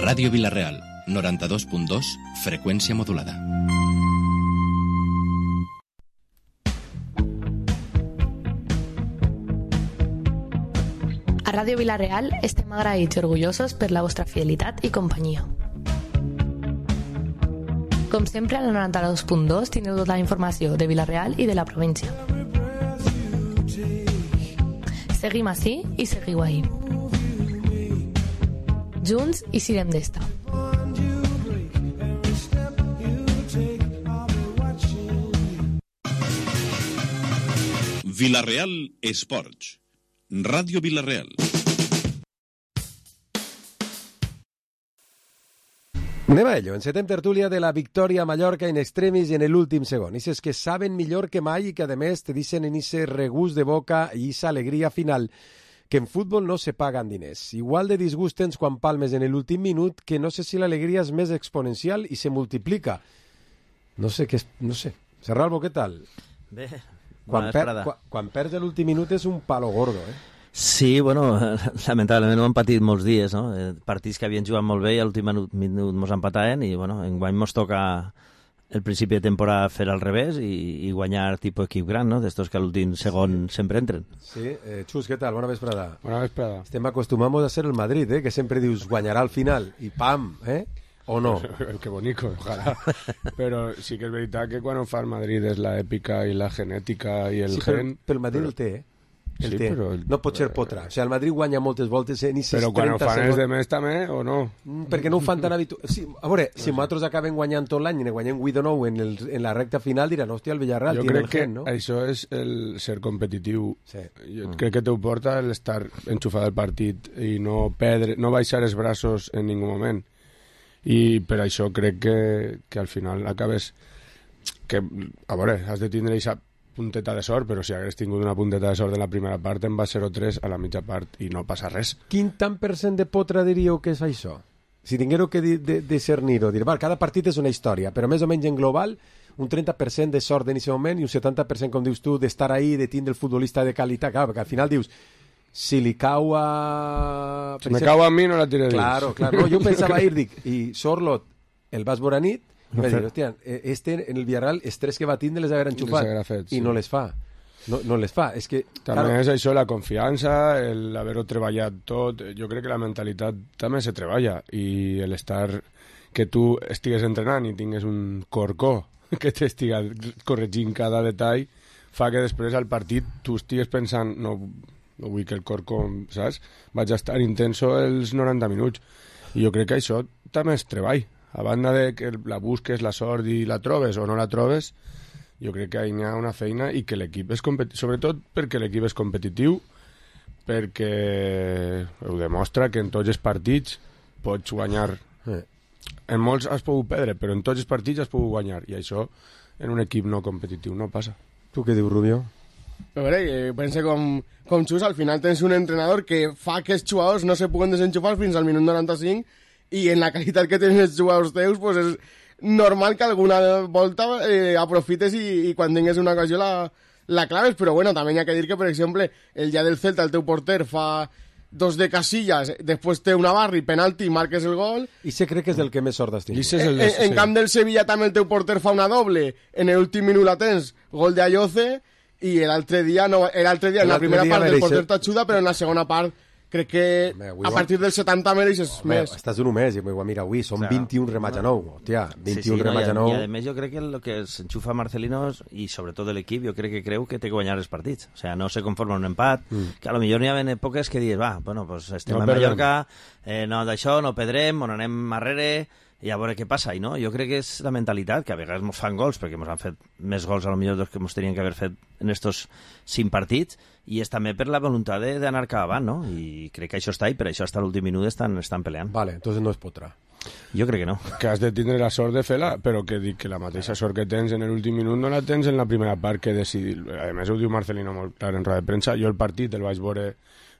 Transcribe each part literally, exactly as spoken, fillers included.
Ràdio Vila-real, noranta-dos punt dos, freqüència modulada. A Ràdio Vila-real estem agraïts i orgullosos per la vostra fidelitat i companyia. Com sempre, a la noranta-dos punt dos tindreu tota la informació de Vila-real i de la província. Seguim ací i seguiu ahí. Junts i sirem d'esta. Vila-real Esports. Ràdio Vila-real. Anem a ello. Encetem tertúlia de la victòria a Mallorca en extremis i en l'últim segon. Ixes que saben millor que mai i que, a més, te dicen en ese regust de boca i esa alegria final que en futbol no se paguen diners. Igual de disgust tens quan palmes en l'últim minut, que no sé si l'alegria és més exponencial i se multiplica. No sé què és... No sé. Serralbo, què tal? Bé, quan, per, quan, quan perds l'últim minut és un palo gordo, eh? Sí, bueno, lamentablement ho hem patit molts dies, no? Partits que havien jugat molt bé i a l'últim minut mos empataven i, bueno, enguany mos toca el principi de temporada fer al revés i, i guanyar tipus equip gran, no? D'estos que a l'últim segon sí. sempre entren. Sí, eh, Xus, què tal? Bona vesprada. Bona vesprada. Estem acostumamos a ser el Madrid, eh? Que sempre dius guanyarà al final i pam, eh? O no? Que bonico, ojalá. Però sí que és veritat que quan ho fa el Madrid és la èpica i la genètica i el sí, gen... Però el Madrid però... el té, eh? El sí, té. Però el... No pot ser potra. O sigui, el Madrid guanya moltes voltes en aquests però quan ho fan segons... els de més també, o no? Mm, perquè no ho fan tan habitual. Sí, a veure, si nosaltres acabem guanyant tot l'any i ne guanyem vuit o nou en, el, en la recta final, diran, hòstia, el Villarreal jo tiene el gen, no? Jo crec que això és el ser competitiu. Sí. Jo mm. crec que t'ho porta l'estar enxufat al partit i no perdre, no baixar els braços en ningú moment. I per això crec que, que al final acabes... Que, a veure, has de tindre aquesta punteta de sort, però si hagués tingut una punteta de sort en la primera part en va zero tres a la mitja part i no passa res. Quin tant per cent de potra diríeu que és això? Si tinguéreu que discernir-ho, dir, val, cada partit és una història, però més o menys en global un trenta per cent de sort en aquest moment i un setanta per cent, com dius tu, d'estar ahí, de tindre el futbolista de qualitat, clar, perquè al final dius, si li cau a... Si me cau a mi no la tiré dins. Claro, claro, no, jo pensava ir, dic, i Sorlot el vas veure a nit, i vaig dir, hòstia, este en el Villarreal els tres que va tindre les haver enxufat fet, i sí. no les fa. No, no les fa. És que, també claro, és això, la confiança, l'haver-ho treballat tot. Jo crec que la mentalitat també se treballa i l'estar que tu estigues entrenant i tingues un corcó que t'estiga corregint cada detall fa que després al partit tu estigues pensant no, no vull que el corcó, saps? Vaig a estar intenso els noranta minuts. I jo crec que això també és treball. A banda de que la busques, la sort i la trobes o no la trobes, jo crec que hi ha una feina i que l'equip és competitiu, sobretot perquè l'equip és competitiu, perquè ho demostra que en tots els partits pots guanyar. Eh. En molts has pogut perdre, però en tots els partits has pogut guanyar, i això en un equip no competitiu no passa. Tu què dius, Rubio? A veure, eh, pense com, com Xus, al final tens un entrenador que fa que els jugadors no se puguen desenxufar fins al minut noranta-cinc i en la qualitat que tenen els jugadors teus pues és normal que alguna volta eh, aprofites i, i quan tingues una ocasió la, la claves, però bueno, també hi ha que dir que, per exemple, el dia del Celta el teu porter fa dos de Casillas, després té una barra i penalti i marques el gol. I se crec que és el que més sort has tingut. En, en, en camp del Sevilla també el teu porter fa una doble, en l'últim minut la tens, gol de Ayoce, i l'altre dia, no, l'altre dia en la primera part el porter t'ajuda, però en la segona part crec que Home, a partir del setanta mereixes Home, més. Estàs d'un mes, i mira, avui són claro. vint-i-un remats a nou, hòstia, vint-i-un sí, sí, remats no, a nou. I a més jo crec que el que s'enxufa Marcelino i sobretot l'equip, jo crec que creu que té que guanyar els partits, o sigui, no se conforma un empat, mm. que a lo millor n'hi ha èpoques que dius, va, bueno, pues estem no a Mallorca, eh, no d'això, no perdrem, on anem arrere, i a veure què passa, i no, jo crec que és la mentalitat, que a vegades mos fan gols, perquè mos han fet més gols a lo millor dels que mos tenien que haver fet en estos cinc partits, i és també per la voluntat d'anar cap avant, no? I crec que això està, i per això hasta l'últim minut estan, estan peleant. Vale, entonces no es potra. Jo crec que no. Que has de tindre la sort de fer-la, però que dic que la mateixa sort que tens en l'últim minut no la tens en la primera part que decidir. A més ho diu Marcelino molt clar en roda de premsa, jo el partit el vaig veure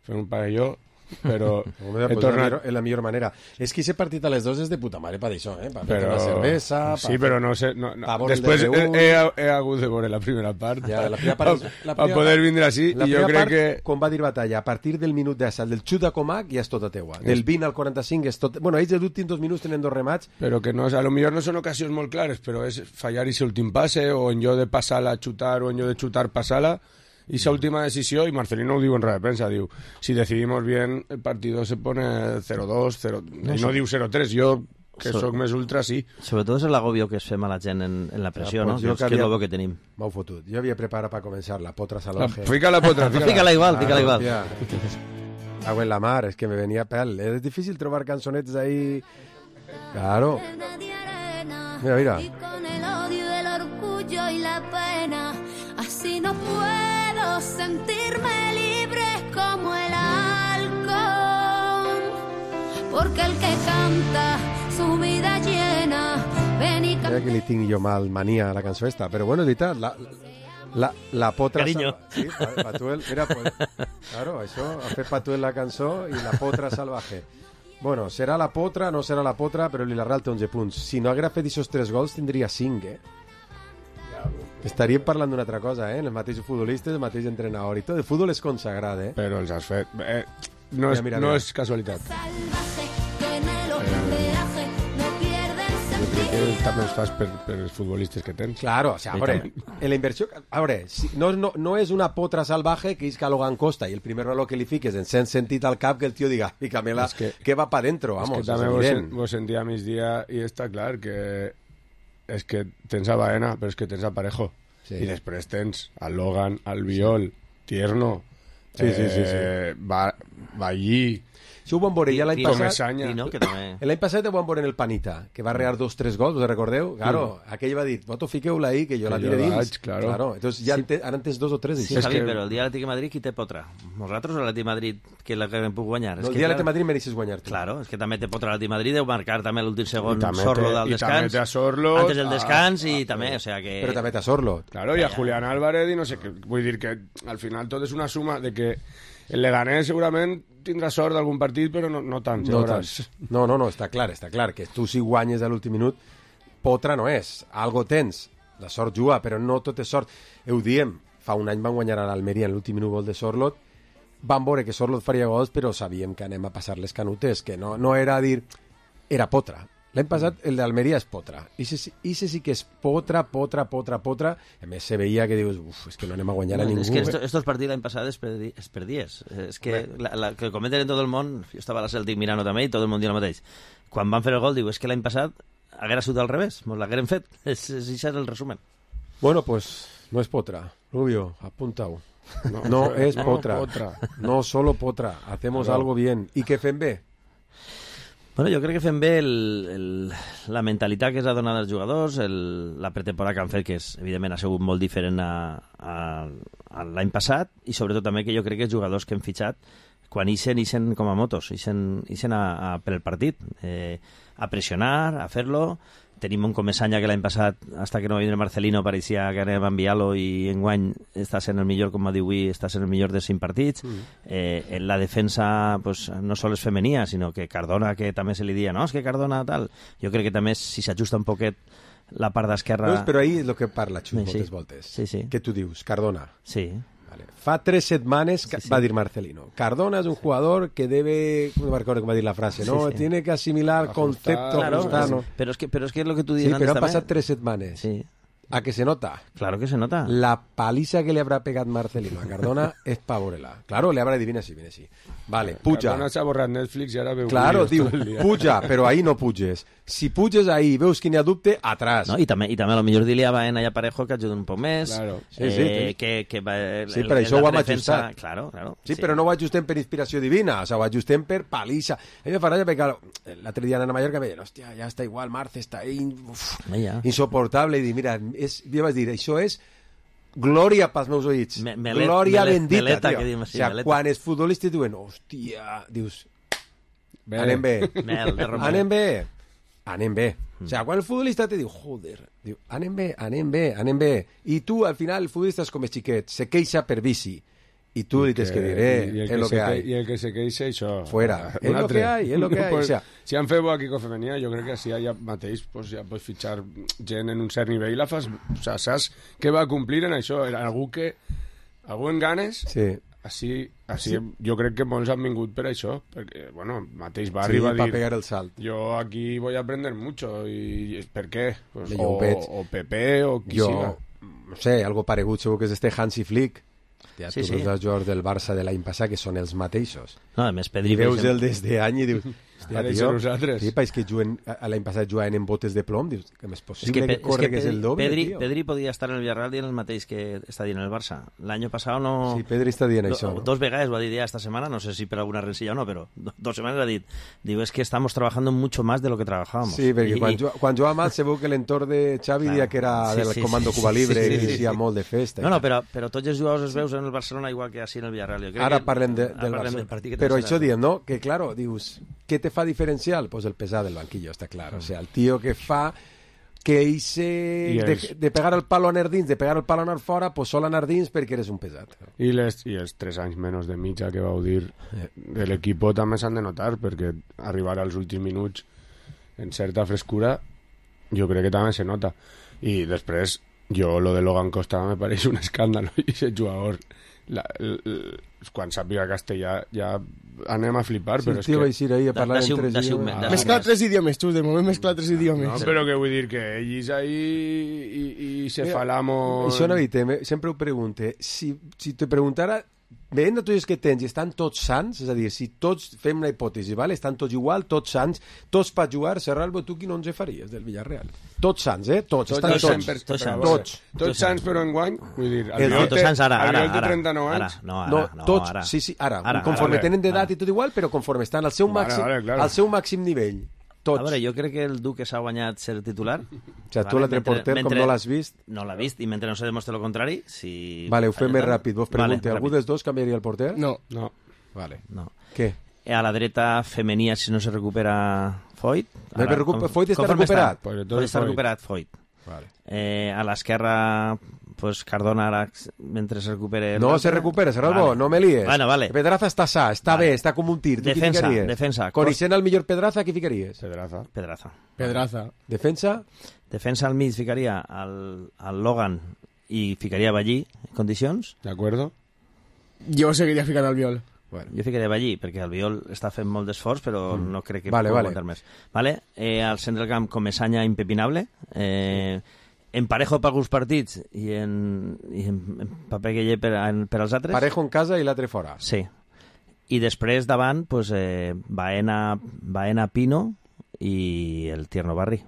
fer un pavelló però Home, he pues tornat... la, millor, la millor manera. És que aquest partit a les dos és de puta mare per això, eh? Per Però... la cervesa... Sí, però no sé... No, no. Pa veure el Després he, D R U. he, he hagut de veure la primera part Ja, la primera part és- la per primera poder part- vindre així La i jo primera crec part, que... com va dir Batalla, a partir del minut d'assalt, del xut a Comac, ja és tota teua. Del vint al quaranta-cinc és tot... Bueno, ells els últims dos minuts tenen dos remats. Però que no, a lo millor no són ocasions molt clares, però és fallar ese últim passe, o en lloc de passar-la a xutar, o en lloc de xutar passar-la, y esa última decisión, y Marcelino lo digo en rueda de prensa, digo, si decidimos bien, el partido se pone cero dos, cero, no, y no digo cero tres, yo, que So- soc més ultra, sí. Sobretot és l'agobio que es fem a la gent en, en la pressió, Ah, no? pues jo Que és que que és havia- el bo que tenim. M'ho fotut. Jo havia preparat per començar la potra La, salvaje. fica la potra, fica Fícala igual, Ah, fícala igual. hòstia. Agua en la mar, es que me venía pel. Es difícil trobar canzonetes ahí. Claro. Mira, mira. Y con el odio, el orgullo y la pena, así no puedo sentirme libre como el halcón. Porque el que canta su vida llena, ven y Mira canta. que li tinc jo mal mania a la cançó esta. Però bueno, és veritat, la, la, la potra... Cariño. salva- Sí, pa- Patuel, mira, pues, claro, això, ha fet Patuel la cançó i la potra salvaje. Bueno, serà la potra, no serà la potra, però l'Ilarral té onze punts. Si no haguera fet aquests tres gols, tindria cinc, eh? Estaríem parlant d'una altra cosa, eh? Els mateixos futbolistes, el mateix entrenador i tot. El futbol és consagrat, eh? Però els has fet... Eh, no, Mira, és, mira, no mira. és casualitat. Salvaje que en el oleaje no pierde el Jo crec que sentido. també els fas per, per els futbolistes que tens. Claro, o sea, a veure, en la inversió... A veure, si, no, no, no és una potra salvaje que és que a Logan Costa i el primer valor que li fiques en sent sentit al cap que el tio diga, fícamela, És que- que va pa dentro, És vamos, que també és vos, evident. sen, vos sentia a migdia i està clar que és que tens a Baena, però és que tens a Parejo. Sí. I després tens al Logan, al Viol, Tierno, Sí, sí, sí, sí. eh, Va, Vallí, Si ho van veure ja l'any I- i- passat... Comesaña. I no, que també... L'any passat ho van veure en el Panita, que va rear dos, tres gols, us recordeu? Claro, aquell va dir, vosaltres fiqueu-la ahí, que jo la Que tire jo dins. vaig, claro. Entonces ja en te, ara en tens dos o tres. Sí, d'això. És Javi, que- però el dia de l'Atlètic de Madrid qui té potra? Nosaltres o l'Atlètic de Madrid que la que hem puc guanyar? No, És el que, dia de clar, l'Atlètic de Madrid mereixes guanyar-te. Claro, és que també té potra l'Atlètic de Madrid, deu marcar també l'últim segon I també Sorlo té- del i també descans. té a Sorlo, Antes del a- descans i a- també, o sea que... Però també t'ha Sorlo. claro, i a Julián Álvarez i no sé què. Vull dir que al final tot és una suma de que el Leganés segurament tindrà sort d'algun partit, però no, no tant. ja No, veuràs. tant. no, no, no, està clar, està clar, que tu si guanyes a l'últim minut, potra no és, algo tens, la sort juga, però no tot és sort. Ho diem, fa un any van guanyar a l'Almeria en l'últim minut gol de Sorlot, van veure que Sorlot faria gols, però sabíem que anem a passar les canutes, que no, no era dir, era potra. L'any passat el d'Almeria és potra. I se sí que és potra, potra, potra, potra. A més, se veia que dius, uf, és que no anem a guanyar a No, ningú. es que eh? esto- estos partidos l'any passat es, perdi, es perdies. Es que la, la, que comenten en tot el món, jo estava a la Celtic mirant també i tot el món diu el mateix. Quan van fer el gol, diu, és que l'any passat haguera sigut al revés, mos l'hagueren fet. És, és, això és el resumen. Bueno, pues no es potra. Rubio, apunta-ho. No, no es no, potra. potra. No solo potra. Hacemos Claro. algo bien. ¿Y què fem bé? Bueno, jo crec que fem bé el, el, la mentalitat que s'ha donat als jugadors, el, la pretemporada que han fet, que és, evidentment ha sigut molt diferent a, a, a l'any passat, i sobretot també que jo crec que els jugadors que hem fitxat, quan ixen, ixen com a motos, ixen, ixen a, a, per el partit, eh, a pressionar, a fer-lo. Tenim un Comesaña que l'any passat, hasta que no va vindre Marcelino, pareixia que anem a enviar-lo, i enguany està sent el millor, com va dir avui, està sent el millor de cinc partits. Mm. Eh, en la defensa pues, no sols és femenia, sinó que Cardona, que també se li dia, no, és que Cardona tal. Jo crec que també si s'ajusta un poquet la part d'esquerra... No, però ahí és el que parla Xus Sí, sí. moltes voltes. Sí, sí. Què tu dius? Cardona. Sí. Vale. Fa tres setmanes que Sí, sí. va dir Marcelino. Cardona es un jugador que debe... No me recuerdo cómo va a decir la frase, ¿no? Sí, sí. Tiene que asimilar Ajustar. conceptos. Claro, ajustar, ¿no? pero es que pero es que es lo que tú Sí, dices pero han antes pasado también. tres setmanes. Sí. ¿A que se nota? Claro que se nota. La paliza que le habrá pegado Marcelino a Cardona es pavorela. Claro, le habrá dit, viene así, viene así. Vale, puja. Cardona s'ha borrat Netflix i ara veu Claro, vídeos diu, tot el dia. puja, però ahí no puges. Si puges ahí i veus que n'hi ha dubte, atrás. No, i també, i també a lo millor dir-li a Baena i a Parejo que ajuden un poc més. Claro. Sí, sí, eh, sí. que, que va, el, Sí, per això ho hem defensa, ajustat. Claro, claro. Sí, però no ho ajustem per inspiració divina, o sea, ho ajustem per paliza. A mi me fa ràbia perquè claro, l'altre dia anant a Mallorca me deien, hòstia, ja està igual, Marce està ahí, uf, Ah, ja. insoportable, i dic, mira, és, jo vaig dir, això és glòria pels meus oïts, Me- melet- glòria melet- bendita, meleta, tio. que diem O així, sea, meleta. quan els futbolistes diuen, hòstia, dius, Bé. anem bé, Mel, de Romero. anem bé, anem bé. O sea, quan el futbolista te diu, joder, diu, anem bé, anem bé, anem bé. I tu, al final, el futbolista és com el xiquet, se queixa per bici. y tú le tienes que dir, eh, es lo que, que hay. I el que se queixa, això... Fuera, es lo que hay, es lo que hay. Pues, o sea, si han fet bo aquí Femenia, jo crec que si ja mateix pues, ja pots fitxar gent en un cert nivell i la fas... O sea, saps què va complir en això? Era algú que... Algú en ganes... Sí. Així, així sí. Jo crec que molts han vingut per això, perquè, bueno, mateix va sí, arribar a dir... pegar el salt. Jo aquí voy a aprender mucho, i per què? Pues, o, o Pepe, o qui jo, siga. No sé, algo paregut segur que és este Hansi Flick. Ja, sí, tu sí. veus els jugadors del Barça de l'any passat que són els mateixos. No, a més, Pedri... I veus el des d'any i dius... Hòstia, tio, nosaltres. Sí, és que juguen, l'any passat jugaven en botes de plom, dius, que és possible es que, que, que corre es que, que és el doble, Pedri, tio. Pedri podria estar en el Villarreal dient el mateix que està dient el Barça. L'any passat no... Sí, Pedri està dient do, això, no? Dos vegades ho ha dit ja esta setmana, no sé si per alguna rencilla o no, però do, dos setmanes ha dit, diu, es que estamos trabajando mucho más de lo que trabajábamos. Sí, perquè I, quan, i... ju quan jugava mal segur que l'entorn de Xavi Claro. dia que era Sí, del sí, comando sí, Cuba Libre sí, sí, i sí, inicia sí. molt de festa. No, no, però, però tots els jugadors es veus en el Barcelona igual que així en el Villarreal. Jo crec Ara que, parlem de, ara del parlem Barça. del partit que Però tens això ara. diem, no? Que, claro, dius, què te fa diferencial? Pues el pesar del banquillo, està clar. O sea, el tío que fa que hice de, els... de pegar el palo a anar dins, de pegar el palo a anar fora, pues sol anar dins perquè eres un pesat. I, les, I els tres anys menys de mitja que vau dir de l'equip també s'han de notar, perquè arribar als últims minuts en certa frescura jo crec que també se nota. I després, jo lo de Logan Costa me pareix un escàndalo, i aquest jugador la, l, l, quan sàpiga castellà ja anem a flipar, Sí, però el és tio va que... eixir ahir a parlar en tres idiomes. Ah, Mescla tres idiomes, tu, de moment mescla tres idiomes. No, però que vull dir que ells ahí i, i se Mira, falamos... Això no me, sempre ho pregunte. Si, si te preguntara, veient tots els que tens i estan tots sants, és a dir, si tots fem una hipòtesi, vale? Estan tots igual, tots sants, tots per jugar, Serralbo, tu quin onze faries del Villarreal? Tots sants, eh? Tots, Tots, estan tots, tots. tots, tots tots, tots. tots sants, però enguany, vull dir, El- Albiol Tots té- sants ara, ara, Albiol té ara. trenta-nou Ara, anys. no, ara, No, no, tots, ara. sí, sí, ara, Ara, conforme ara, tenen d'edat ara. i tot igual, però conforme estan al seu Vale, màxim, vale, claro. al seu màxim nivell. Tots. A veure, jo crec que el Duque s'ha guanyat ser titular. O sigui, tu l'altre porter, com no l'has vist... No l'ha vist, i mentre no se demostre el contrari, si... Vale, ho fem més ràpid. Vos pregunte, Vale, algú ràpid. dels dos canviaria el porter? No. No. Vale. No. Què? A la dreta femenia, si no se recupera Foyt. No, però recu- Foyt està recuperat. Pues de tot Foyt està Foyt. recuperat, Foyt. Vale. Eh, a l'esquerra, pues Cardona ara, mentre se recupere... No se recupera, Serralbo, Vale. no me líes. Bueno, vale. Pedraza està sa, està Vale. bé, està com un tir. Tu qui Defensa, ficaries? defensa. Coneixent el millor Pedraza, qui ficaries? Pedraza. Pedraza. Pedraza. Defensa? Defensa al mig ficaria al, al Logan i ficaria Ballí en condicions. ¿De acuerdo? Jo seguiria ficant al viol. Bueno. Jo ficaria Ballí, perquè el Viol està fent molt d'esforç, però mm. no crec que Vale, pugui vale. aguantar més. Vale? Eh, al centre del camp, Comesaña impepinable. Eh, en Parejo per alguns partits i en, i en, en paper Gueye per, en, per als altres. Parejo en casa i l'altre fora. Sí. I després davant, pues, eh, Baena, Baena Pino i el Tierno Barri.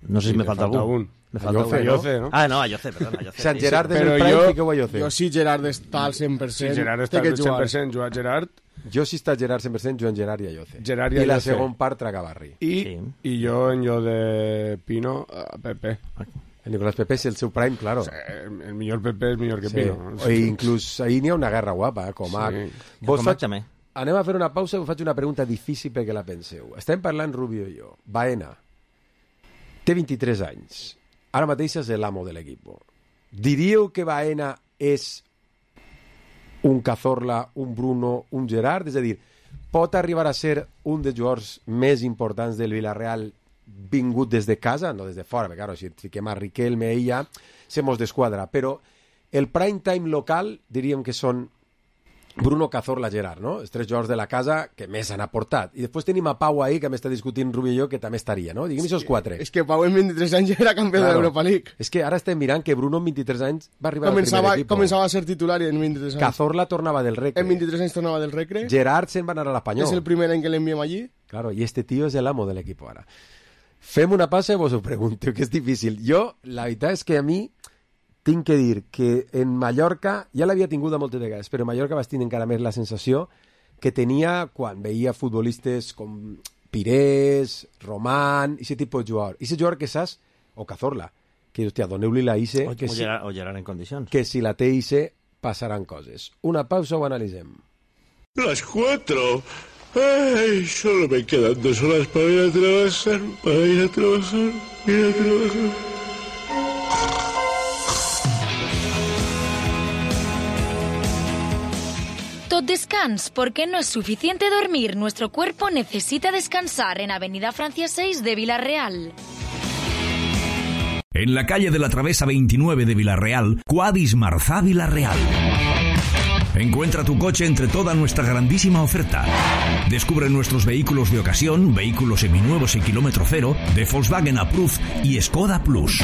No sé Sí, si me te falta, falta algú. un. Me falta Ayoce, un. ¿no? Ayoce, ¿no? Ah, no, Ayoce, perdona. Ayoce, Sant sí, Gerard sí. és el Però prime, jo- fiqueu Ayoce. Jo si Gerard està al cent per cent, Si Gerard té està que al cent jugar. per cent, jugar Gerard, Jo si està Gerard cent per cent, Joan Gerard i Ayoce. Gerard i I la Ayoce. segon part traga Barri. i, Sí. i jo en jo de Pino, a Pepe. El Nicolás Pepe és el seu prime, claro. O sea, el, el millor Pepe és millor que Sí. Pino. O inclús ahir n'hi ha una guerra guapa, eh, Comac. Sí. Vos Comac faig... també. Anem a fer una pausa i us faig una pregunta difícil perquè la penseu. Estem parlant Rubio i jo. Baena té vint-i-tres anys. Ara mateix és l'amo de l'equip. Diríeu que Baena és un Cazorla, un Bruno, un Gerard? És a dir, pot arribar a ser un dels jugadors més importants del Villarreal vingut des de casa, no des de fora, perquè claro, si et fiquem a Riquelme i ja, se mos desquadra, però el prime time local diríem que són Bruno, Cazorla, Gerard, no? Els tres jugadors de la casa que més han aportat. I després tenim a Pau ahí, que m'està discutint Rubio i jo, que també estaria, no? Diguem aquests quatre. És que Pau en vint-i-tres anys ja era campió Claro. de l'Europa League. És que ara estem mirant que Bruno amb vint-i-tres anys va arribar Començava, al primer equip. començava a ser titular i en vint-i-tres anys. Cazorla tornava del Recre. En vint-i-tres anys tornava del Recre. Gerard se'n va anar a l'Espanyol. És el primer any que l'enviem allí. Claro, y este tío es el amo del equipo ahora. Fem una passa i vos ho pregunto, que és difícil. Jo, la veritat és que a mi tinc que dir que en Mallorca, ja l'havia tingut a moltes vegades, però en Mallorca vaig tenir encara més la sensació que tenia quan veia futbolistes com Pirés, Román, ese tipus de jugador. Ese jugador que saps, o Cazorla, que, hòstia, doneu-li la I C, O, que, o, si, Gerard, o Gerard en condicions. que si la té I C passaran coses. Una pausa o analitzem. Las cuatro. Ay, solo me quedan dos horas para ir a trabajar, para ir a trabajar, ir a trabajar. Descans, porque no es suficiente dormir, nuestro cuerpo necesita descansar en Avenida Francia seis de Villarreal. En la calle de la Travesa veintinueve de Villarreal, Quadis Marzá Villarreal. Encuentra tu coche entre toda nuestra grandísima oferta. Descubre nuestros vehículos de ocasión, vehículos seminuevos y kilómetro cero, de Volkswagen Approved y Skoda Plus.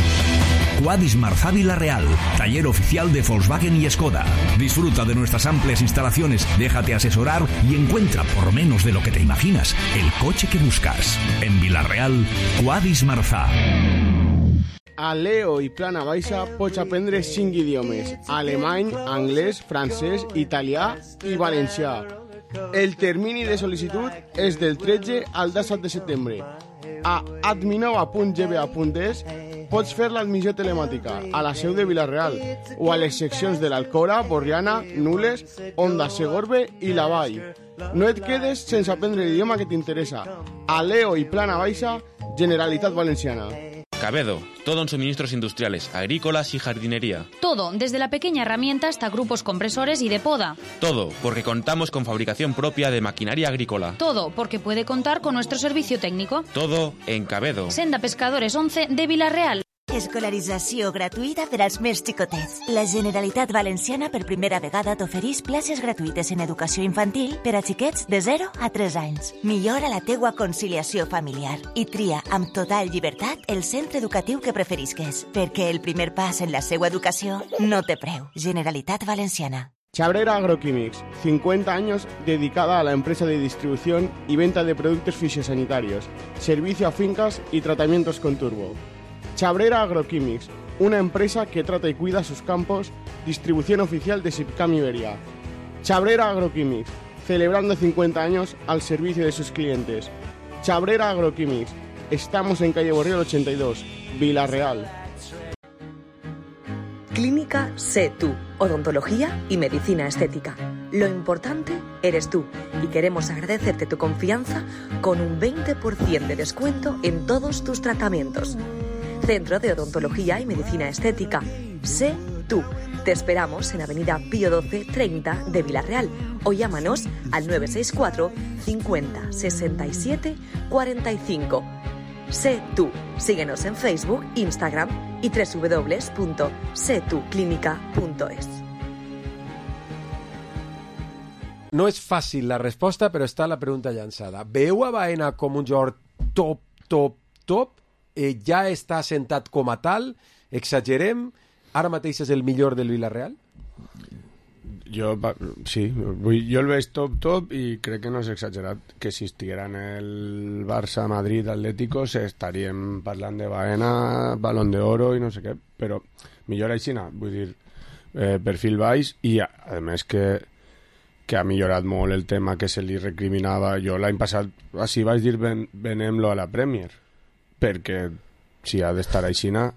Quadis Marzá Villarreal, taller oficial de Volkswagen y Skoda. Disfruta de nuestras amplias instalaciones, déjate asesorar y encuentra, por menos de lo que te imaginas, el coche que buscas. En Villarreal, Quadis Marzá. A Leo i Plana Baixa pots aprendre cinc idiomes: alemany, anglès, francès, italià i valencià. El termini de sol·licitud és del tretze al disset de setembre. A adminova punt g b a punt es pots fer l'admissió telemàtica a la seu de Villarreal o a les seccions de l'Alcora, Borriana, Nules, Onda, Segorbe i la Vall. No et quedes sense aprendre l'idioma que t'interessa. A Leo i Plana Baixa, Generalitat Valenciana. Cabedo, todo en suministros industriales, agrícolas y jardinería. Todo, desde la pequeña herramienta hasta grupos compresores y de poda. Todo, porque contamos con fabricación propia de maquinaria agrícola. Todo, porque puede contar con nuestro servicio técnico. Todo en Cabedo. Senda Pescadores once de Villarreal. Escolarització gratuïta per als més xicotets. La Generalitat Valenciana per primera vegada t'ofereix places gratuïtes en educació infantil per a xiquets de zero a tres anys. Millora la teua conciliació familiar i tria amb total llibertat el centre educatiu que preferisques, perquè el primer pas en la seva educació no té preu. Generalitat Valenciana. Chabrera Agroquímics, cincuenta años dedicada a la empresa de distribución y venta de productos fitosanitarios, servicio a fincas y tratamientos con turbo. Chabrera Agroquímics, una empresa que trata y cuida sus campos, distribución oficial de Sipcam Iberia. Chabrera Agroquímics, celebrando cincuenta años al servicio de sus clientes. Chabrera Agroquímics, estamos en calle Borriol ochenta y dos, Villarreal. Clínica Sé Tú, odontología y medicina estética. Lo importante eres tú y queremos agradecerte tu confianza con un veinte por ciento de descuento en todos tus tratamientos. Centro de Odontología y Medicina Estética. Sé Tú. Te esperamos en Avenida Pío doce treinta de Villarreal o llámanos al nueve seis cuatro cincuenta sesenta y siete cuarenta y cinco. Sé Tú. Síguenos en Facebook, Instagram y doble u doble u doble u punto sé tú clínica punto es. No és fàcil la resposta, però està la pregunta llançada. Veieu a Baena com un jugador top, top, top? Eh, ja està assentat com a tal? Exagerem? Ara mateix és el millor del Villarreal? Jo, sí, jo el veig top, top i crec que no és exagerat que si estiguera en el Barça, Madrid, Atlético estaríem parlant de Baena, Balón de Oro i no sé què, però millor així, vull dir, eh, perfil baix i a, a més que que ha millorat molt el tema que se li recriminava. Jo l'any passat així vaig dir ven, venem-lo a la Premier, perquè si ha d'estar aixina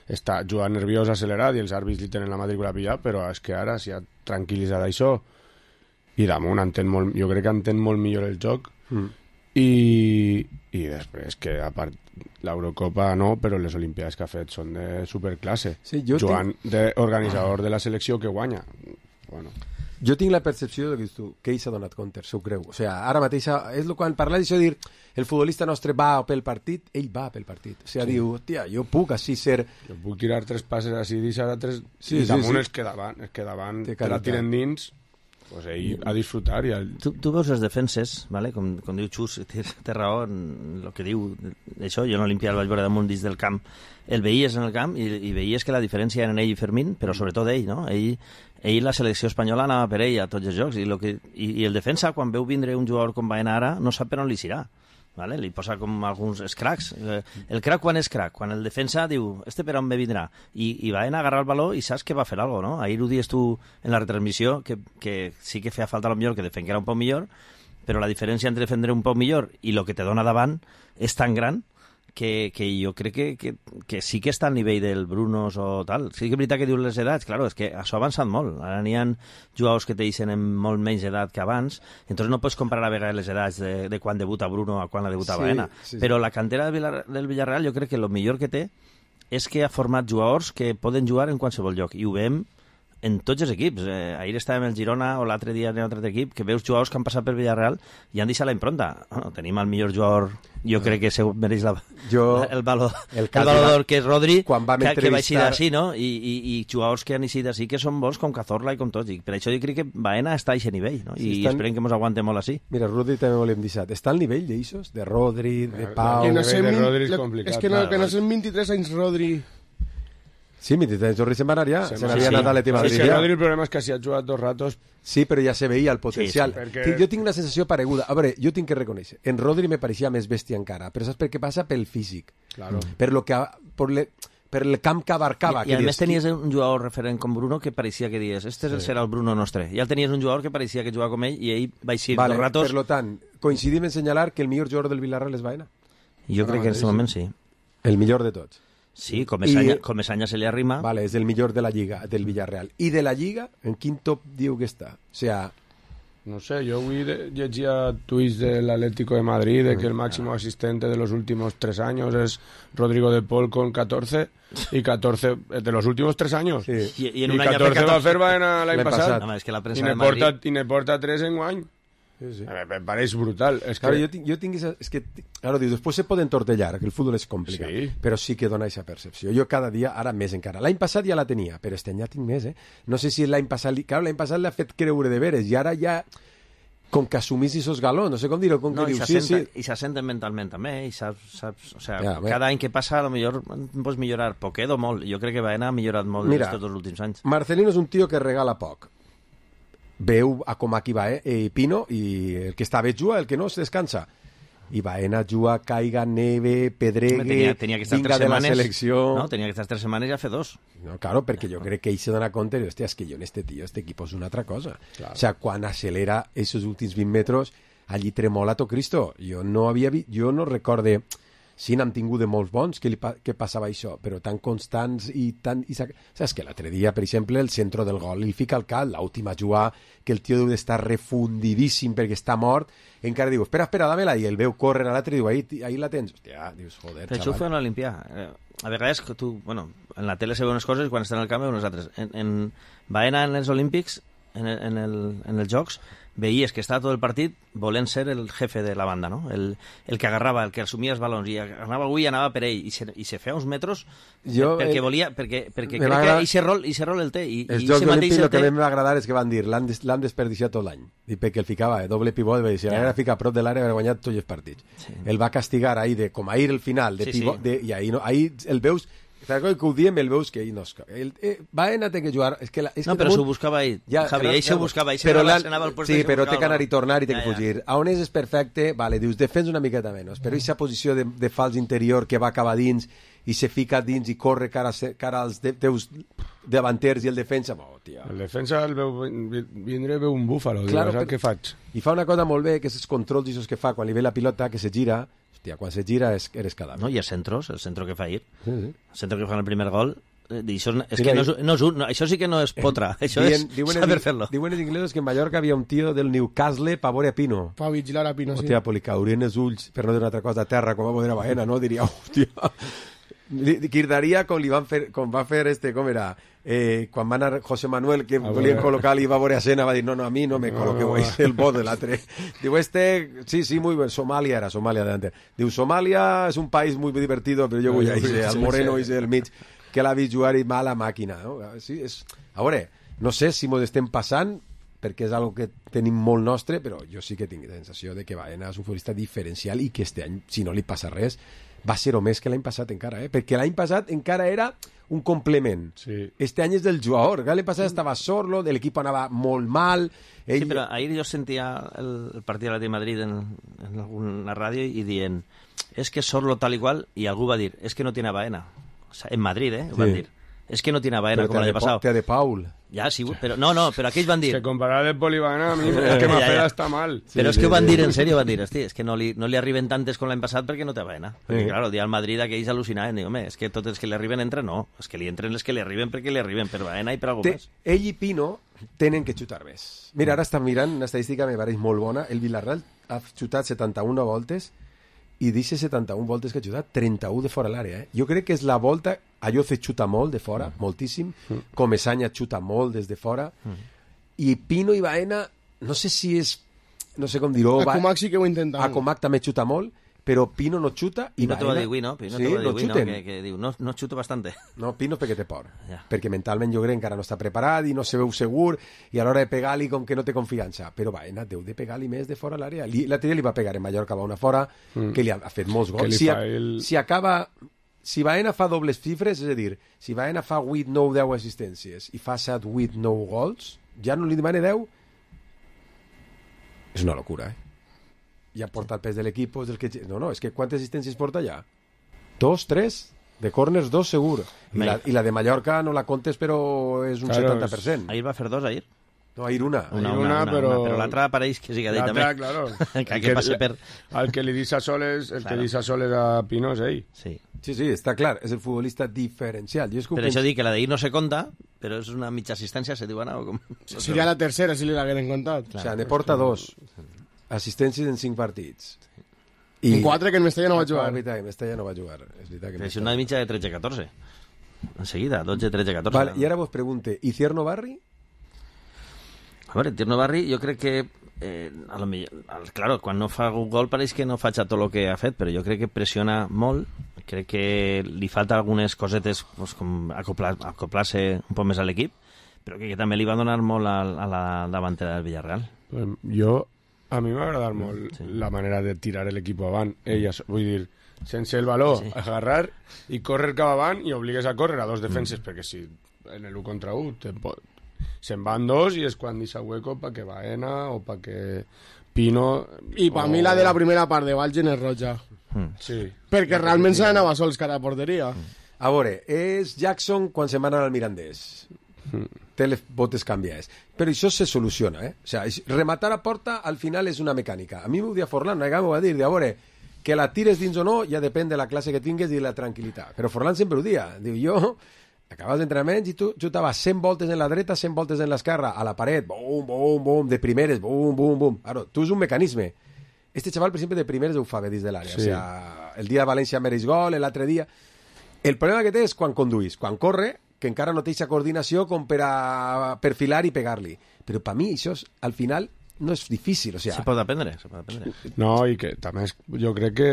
està jugant nerviós, accelerat i els àrbits li tenen la matrícula pillat, però és que ara s'ha tranquil·litzat això i damunt entén molt, jo crec que entén molt millor el joc mm. i, i després que a part l'Eurocopa no, però les Olimpiades que ha fet són de superclasse, sí, jugant tinc... d'organitzador de la selecció que guanya. Bueno. Jo tinc la percepció que, tu, que ell s'ha donat compte, s'ho creu. O sigui, ara mateix, és el quan parla d'això de dir el futbolista nostre va pel partit, ell va pel partit. O sigui, sí. Diu, tia, jo puc així ser... Jo puc tirar tres passes així, deixar tres... Sí, i damunt sí, sí. és que davant, és que davant te la tiren dins, pues ell a disfrutar. I el... tu, tu veus les defenses, vale? com, com diu Xus, té, té raó en el que diu això, jo en l'Olimpia el vaig veure damunt dins del camp, el veies en el camp i, i veies que la diferència era en ell i Fermín, però sobretot ell, no? Ell, ell la selecció espanyola anava per ell a tots els jocs i, lo que, i, i el defensa, quan veu vindre un jugador com Baena ara, no sap per on li serà. Vale? Li posa com alguns cracs. El crac quan és crac? Quan el defensa diu, este per on me vindrà? I, i Baena agarra el baló i saps que va fer alguna cosa, no? Ahir ho dius tu en la retransmissió, que, que sí que feia falta a lo millor que defenguera un poc millor, però la diferència entre defendre un poc millor i el que te dona davant és tan gran que, que jo crec que, que, que sí que està al nivell del Brunos o tal. Sí que és veritat que dius les edats, claro, és que això ha avançat molt. Ara n'hi ha jugadors que te deixen en molt menys edat que abans, entonces no pots comparar a vegades les edats de, de quan debuta Bruno a quan la debuta sí, Baena. Sí, sí. Però la cantera del, Villar, del Villarreal jo crec que el millor que té és que ha format jugadors que poden jugar en qualsevol lloc, i ho veiem en tots els equips. Eh, ahir estàvem el Girona o l'altre dia en un altre equip que veus jugadors que han passat per Villarreal i han deixat la impronta. Bueno, tenim el millor jugador, jo crec que se mereix la, jo, el valor el, el valor que és Rodri, quan vam que, entrevistar... que va eixir d'ací, no? I, i, i jugadors que han eixit d'ací que són bons com Cazorla i com tots. I per això jo crec que Baena està a aquest nivell, no? I sí, estan... esperem que ens aguante molt així. Mira, Rodri també volem deixar. Està al nivell d'eixos? De Rodri, de Pau... Que no sé, de Rodri és complicat. És que no, que no són vint-i-tres anys Rodri... Sí, vint-i-tres Rodri se'n va anar ja. Se n'havia sí, anat a l'Atleti Madrid. Sí, que Rodri el problema és que si ha jugat dos ratos... Sí, però ja se veia el potencial. Sí, sí, perquè... Jo tinc una sensació pareguda. A veure, jo tinc que reconèixer. En Rodri me pareixia més bèstia encara, però saps per què passa? Pel físic. Claro. Per lo que... Per, le, per el camp que abarcava. I, i a més tenies un jugador referent com Bruno que pareixia que dies, este sí. serà el Bruno nostre. I el tenies un jugador que pareixia que jugava com ell i ell va eixir vale, dos ratos... Per lo tant, coincidim en senyalar que el millor jugador del Villarreal és Baena. Jo crec que en aquest moment sí. El millor de tots. Sí, Comesaña, I, Comesaña se li arrima. Vale, és el millor de la Lliga, del Villarreal. I de la Lliga, en quin top diu que està? O sea... No sé, yo hoy llegia tuits del Atlético de Madrid de que el máximo asistente de los últimos tres años es Rodrigo de Paul con catorce y catorce de los últimos tres años. Sí. I, i, en I un catorce va fer l'any passat. No, és que la I ne porta, i ne porta tres en guany. Sí, sí. Me pareix brutal. Es claro, que... yo, tinc, yo tinc esa, es que, claro, digo, después se puede entortellar, que el fútbol és complicat, sí. Però sí que dona aquesta percepció. Jo cada dia, ara més encara. L'any passat ja la tenia, però este any ja tinc més, eh? No sé si l'any passat... Claro, l'any passat l'ha fet creure de veres, i ara ja... Com que assumís esos galons, no sé com dir-ho, com no, que dius, sí, sí, sí. I s'assenten mentalment també, i saps, saps o sea, ja, cada any que passa a lo millor pots millorar poquet o molt. Jo crec que Baena ha millorat molt Mira, tots els últims anys. Marcelino és un tio que regala poc. Veu a com aquí va, eh? I Pino, i el que està bé juga, el que no es descansa. I Baena juga, caiga, neve, pedregue, tenia, tenia que vinga de setmanes, la selecció... No, tenia que estar tres setmanes i ja fer dos. No, claro, perquè jo crec que ell se dona compte de, hòstia, és que jo en este tio, este equip és una altra cosa. Claro. O sea, quan accelera esos últims vint metres, allí tremola tot Cristo. Jo no havia vist, jo no recorde... Sí, n'hem tingut de molts bons que, li pa que passava això, però tan constants i tan... I saps que l'altre dia, per exemple, el centre del gol li fica al cap, l'última jugada, que el tio deu d'estar refundidíssim perquè està mort, encara diu, espera, espera, dame-la, i el veu córrer a l'altre i diu, ahí, ahí la tens. Hòstia, dius, joder, xaval. Això ho feien a l'Olimpià. A vegades, que tu, bueno, en la tele se veuen unes coses i quan estan al camp veuen unes altres. En, en Baena, en els Olímpics, en, el, en, el, en els Jocs, veies que estava tot el partit volent ser el jefe de la banda, no? El, el que agarrava, el que assumia els balons, i anava algú i anava per ell, i se, i se feia uns metros jo, perquè eh, volia, perquè, perquè crec que aquest rol, rol el té. I, els i Jocs Olímpics el que té... a mi m'agradar és que van dir l'han des, desperdiciat tot l'any, i perquè el ficava, eh, doble pivot, i si ja. L'era ficar a prop de l'àrea havia guanyat tots els partits. Sí. El va castigar ahir, de, com ahir el final, de sí, pivot, sí. De, i ahir, no, ahir el veus... Que ho diem, el veus que ell no es... El, eh, Baena té que jugar... És que la, és no, que però s'ho buscava ell. Ja, Javi, ell s'ho buscava. Ell però anava al sí, però té que anar i tornar i té que ja, fugir. Ja. A on és, és perfecte, vale, dius, defens una miqueta menys, però aquesta posició de, de fals interior que va acabar dins i se fica dins i corre cara, cara als de, teus davanters i el defensa... Oh, tia. El defensa el veu, vindré veu un búfalo, claro, diu, què faig? I fa una cosa molt bé, que és els controls que fa quan li ve la pilota, que se gira... Hòstia, quan se gira és, eres cadàver. No, i els centros, el centro que fa ahir, sí, sí. El centro que fa en el primer gol, eh, això, és que no és, no és un, no, això sí que no és potra, això dien, és diuen saber fer-lo. Diuen els inglesos que en Mallorca havia un tio del Newcastle pa veure a Pino. Pa vigilar a Pino, hòstia, sí. Hòstia, li caurien els ulls, per no dir una altra cosa, a terra, com va poder a Baena, no? Diria, hòstia... Quirdaria com li van fer, com va fer este, com era... Eh, quan va anar José Manuel que ah, volien col·locar-li i va veure a Sena va dir no, no, a mi no me col·loqueu no. El bot de l'altre diu este, sí, sí, muy bien Somalia era, Somalia delante diu Somalia és un país muy divertido però jo vull a ese, al moreno ese del mig que l'ha vist jugar i mala màquina no? Sí, és... a veure, no sé si mos estem passant perquè és algo que tenim molt nostre però jo sí que tinc la sensació de que Baena és un futbolista diferencial i que este any, si no li passa res va ser o més que l'any passat encara, eh? Perquè l'any passat encara era un complement. Sí. Este any és del jugador. L'any passat estava sorlo, de l'equip anava molt mal. Ell... Sí, però ahir jo sentia el, el partit de l'Atleti Madrid en, en alguna ràdio i dient, és que sorlo tal igual, i algú va dir, és que no tiene Baena. O sea, en Madrid, eh? Ho sí. Van dir. És que no tiene Baena, com l'any passat. Però de Paul. Ja, sí, però no, no, però aquells van dir... Que comparar de Pol i Baena a mi és que m'afera està mal. Sí, però és que ho van dir en sèrio, van dir, hosti, és que no li, no li arriben tantes com l'any passat perquè no té Baena. Perquè, sí. Clar, el dia al Madrid aquells al·lucinaven, dic, home, és que tots els que li arriben entren, no. És que li entren els que li arriben perquè li arriben per Baena i per algú més. Ell i Pino tenen que xutar més. Mira, ara estan mirant una estadística, me pareix molt bona. El Villarreal ha xutat setanta-una voltes i d'aquestes setanta-una voltes que ha xutat, trenta-una de fora l'àrea. Eh? Jo crec que és la volta Ayoce xuta molt de fora, mm. moltíssim, mm. Comesaña xuta molt des de fora, mm. i Pino i Baena, no sé si és, no sé com dir-ho... A Comac sí que ho intenta. A Comac també xuta molt, però Pino no xuta i Pino Baena... te va dir avui, no? Pino sí, te va dir no avui, no? xuten. Que, que diu, no, no xuto bastante. No, Pino perquè té por. Ja. Perquè mentalment jo crec encara no està preparat i no se veu segur i a l'hora de pegar-li com que no té confiança. Però Baena deu de pegar-li més de fora a l'àrea. L'altre dia li va pegar en Mallorca, va una fora, mm. que li ha, ha fet molts gols. Si, el... si acaba... Si Baena fa dobles xifres, és a dir, si Baena fa vuit, nou, deu assistències i fa set, vuit, nou gols, ja no li demana deu, és una locura, eh? Ja porta el pes de l'equip, és el que... No, no, és que quantes assistències porta ja? Dos, tres? De corners, dos segur. I la, i la de Mallorca no la comptes, però és un claro, setanta per cent. Ahir va fer dos, ahir? No, ahir una. Una, una, una, una però... Una, però l'altra pareix que siga d'ell també. L'altra, claro. que, que, que passe per... El que li deixa soles, el claro. que deixa soles a Pino és ell. Sí. Sí, sí, està clar, és el futbolista diferencial. Jo és que per això dic que la d'ahir no se compta, però és una mitja assistència, se diu, no? Com... Seria la tercera, si li l'hagueren comptat. Claro, o sigui, ne porta dos assistències en cinc partits. I en quatre que en Mestalla no va jugar. És veritat, que Mestalla no va jugar. És veritat que és una mitja de tretze catorze. Enseguida, dotze, tretze, catorze. Vale, i ara vos pregunte, ¿y Cierno Barri? A veure, Tierno Barri, jo crec que eh, a lo millor, claro, quan no fa un gol pareix que no faig tot el que ha fet, però jo crec que pressiona molt, crec que li falta algunes cosetes pues, com acoplar, acoplar-se un poc més a l'equip, però que, que també li va donar molt a, a la davantera del Villarreal. Pues jo, a mi m'ha agradat molt sí. la manera de tirar l'equip avant. Ella, vull dir, sense el valor, sí. agarrar i córrer cap avant i obligues a córrer a dos defenses, mm. perquè si en el u contra u se'n van dos i és quan deixa hueco pa que Baena o pa que Pino... I per o... mi la de la primera part de Valgen és roja. Mm. Sí. Perquè realment se n'anava sols cara a porteria. A veure, és Jackson quan se'n va anar al Mirandés. Mm. Té les botes canviades. Però això se soluciona, eh? O sigui, rematar a porta al final és una mecànica. A mi m'ho dia Forlán, una vegada m'ho va dir, de a veure, que la tires dins o no ja depèn de la classe que tingues i de la tranquil·litat. Però Forlán sempre ho dia. Diu, jo... Acabes d'entrenaments i tu xutaves cent voltes en la dreta, cent voltes en l'esquerra, a la paret, bum, bum, bum, de primeres, bum, bum, bum. Claro, tu és un mecanisme. Este xaval, per exemple, de primeres ho fa bé dins de l'àrea. Sí. O sea, el dia de València mereix gol, l'altre dia... El problema que té és quan conduís, quan corre, que encara no té aquesta coordinació com per a perfilar i pegar-li. Però per mi això, és, al final, no és difícil. O sea... Se pot aprendre, se pot aprendre. No, i que també és, jo crec que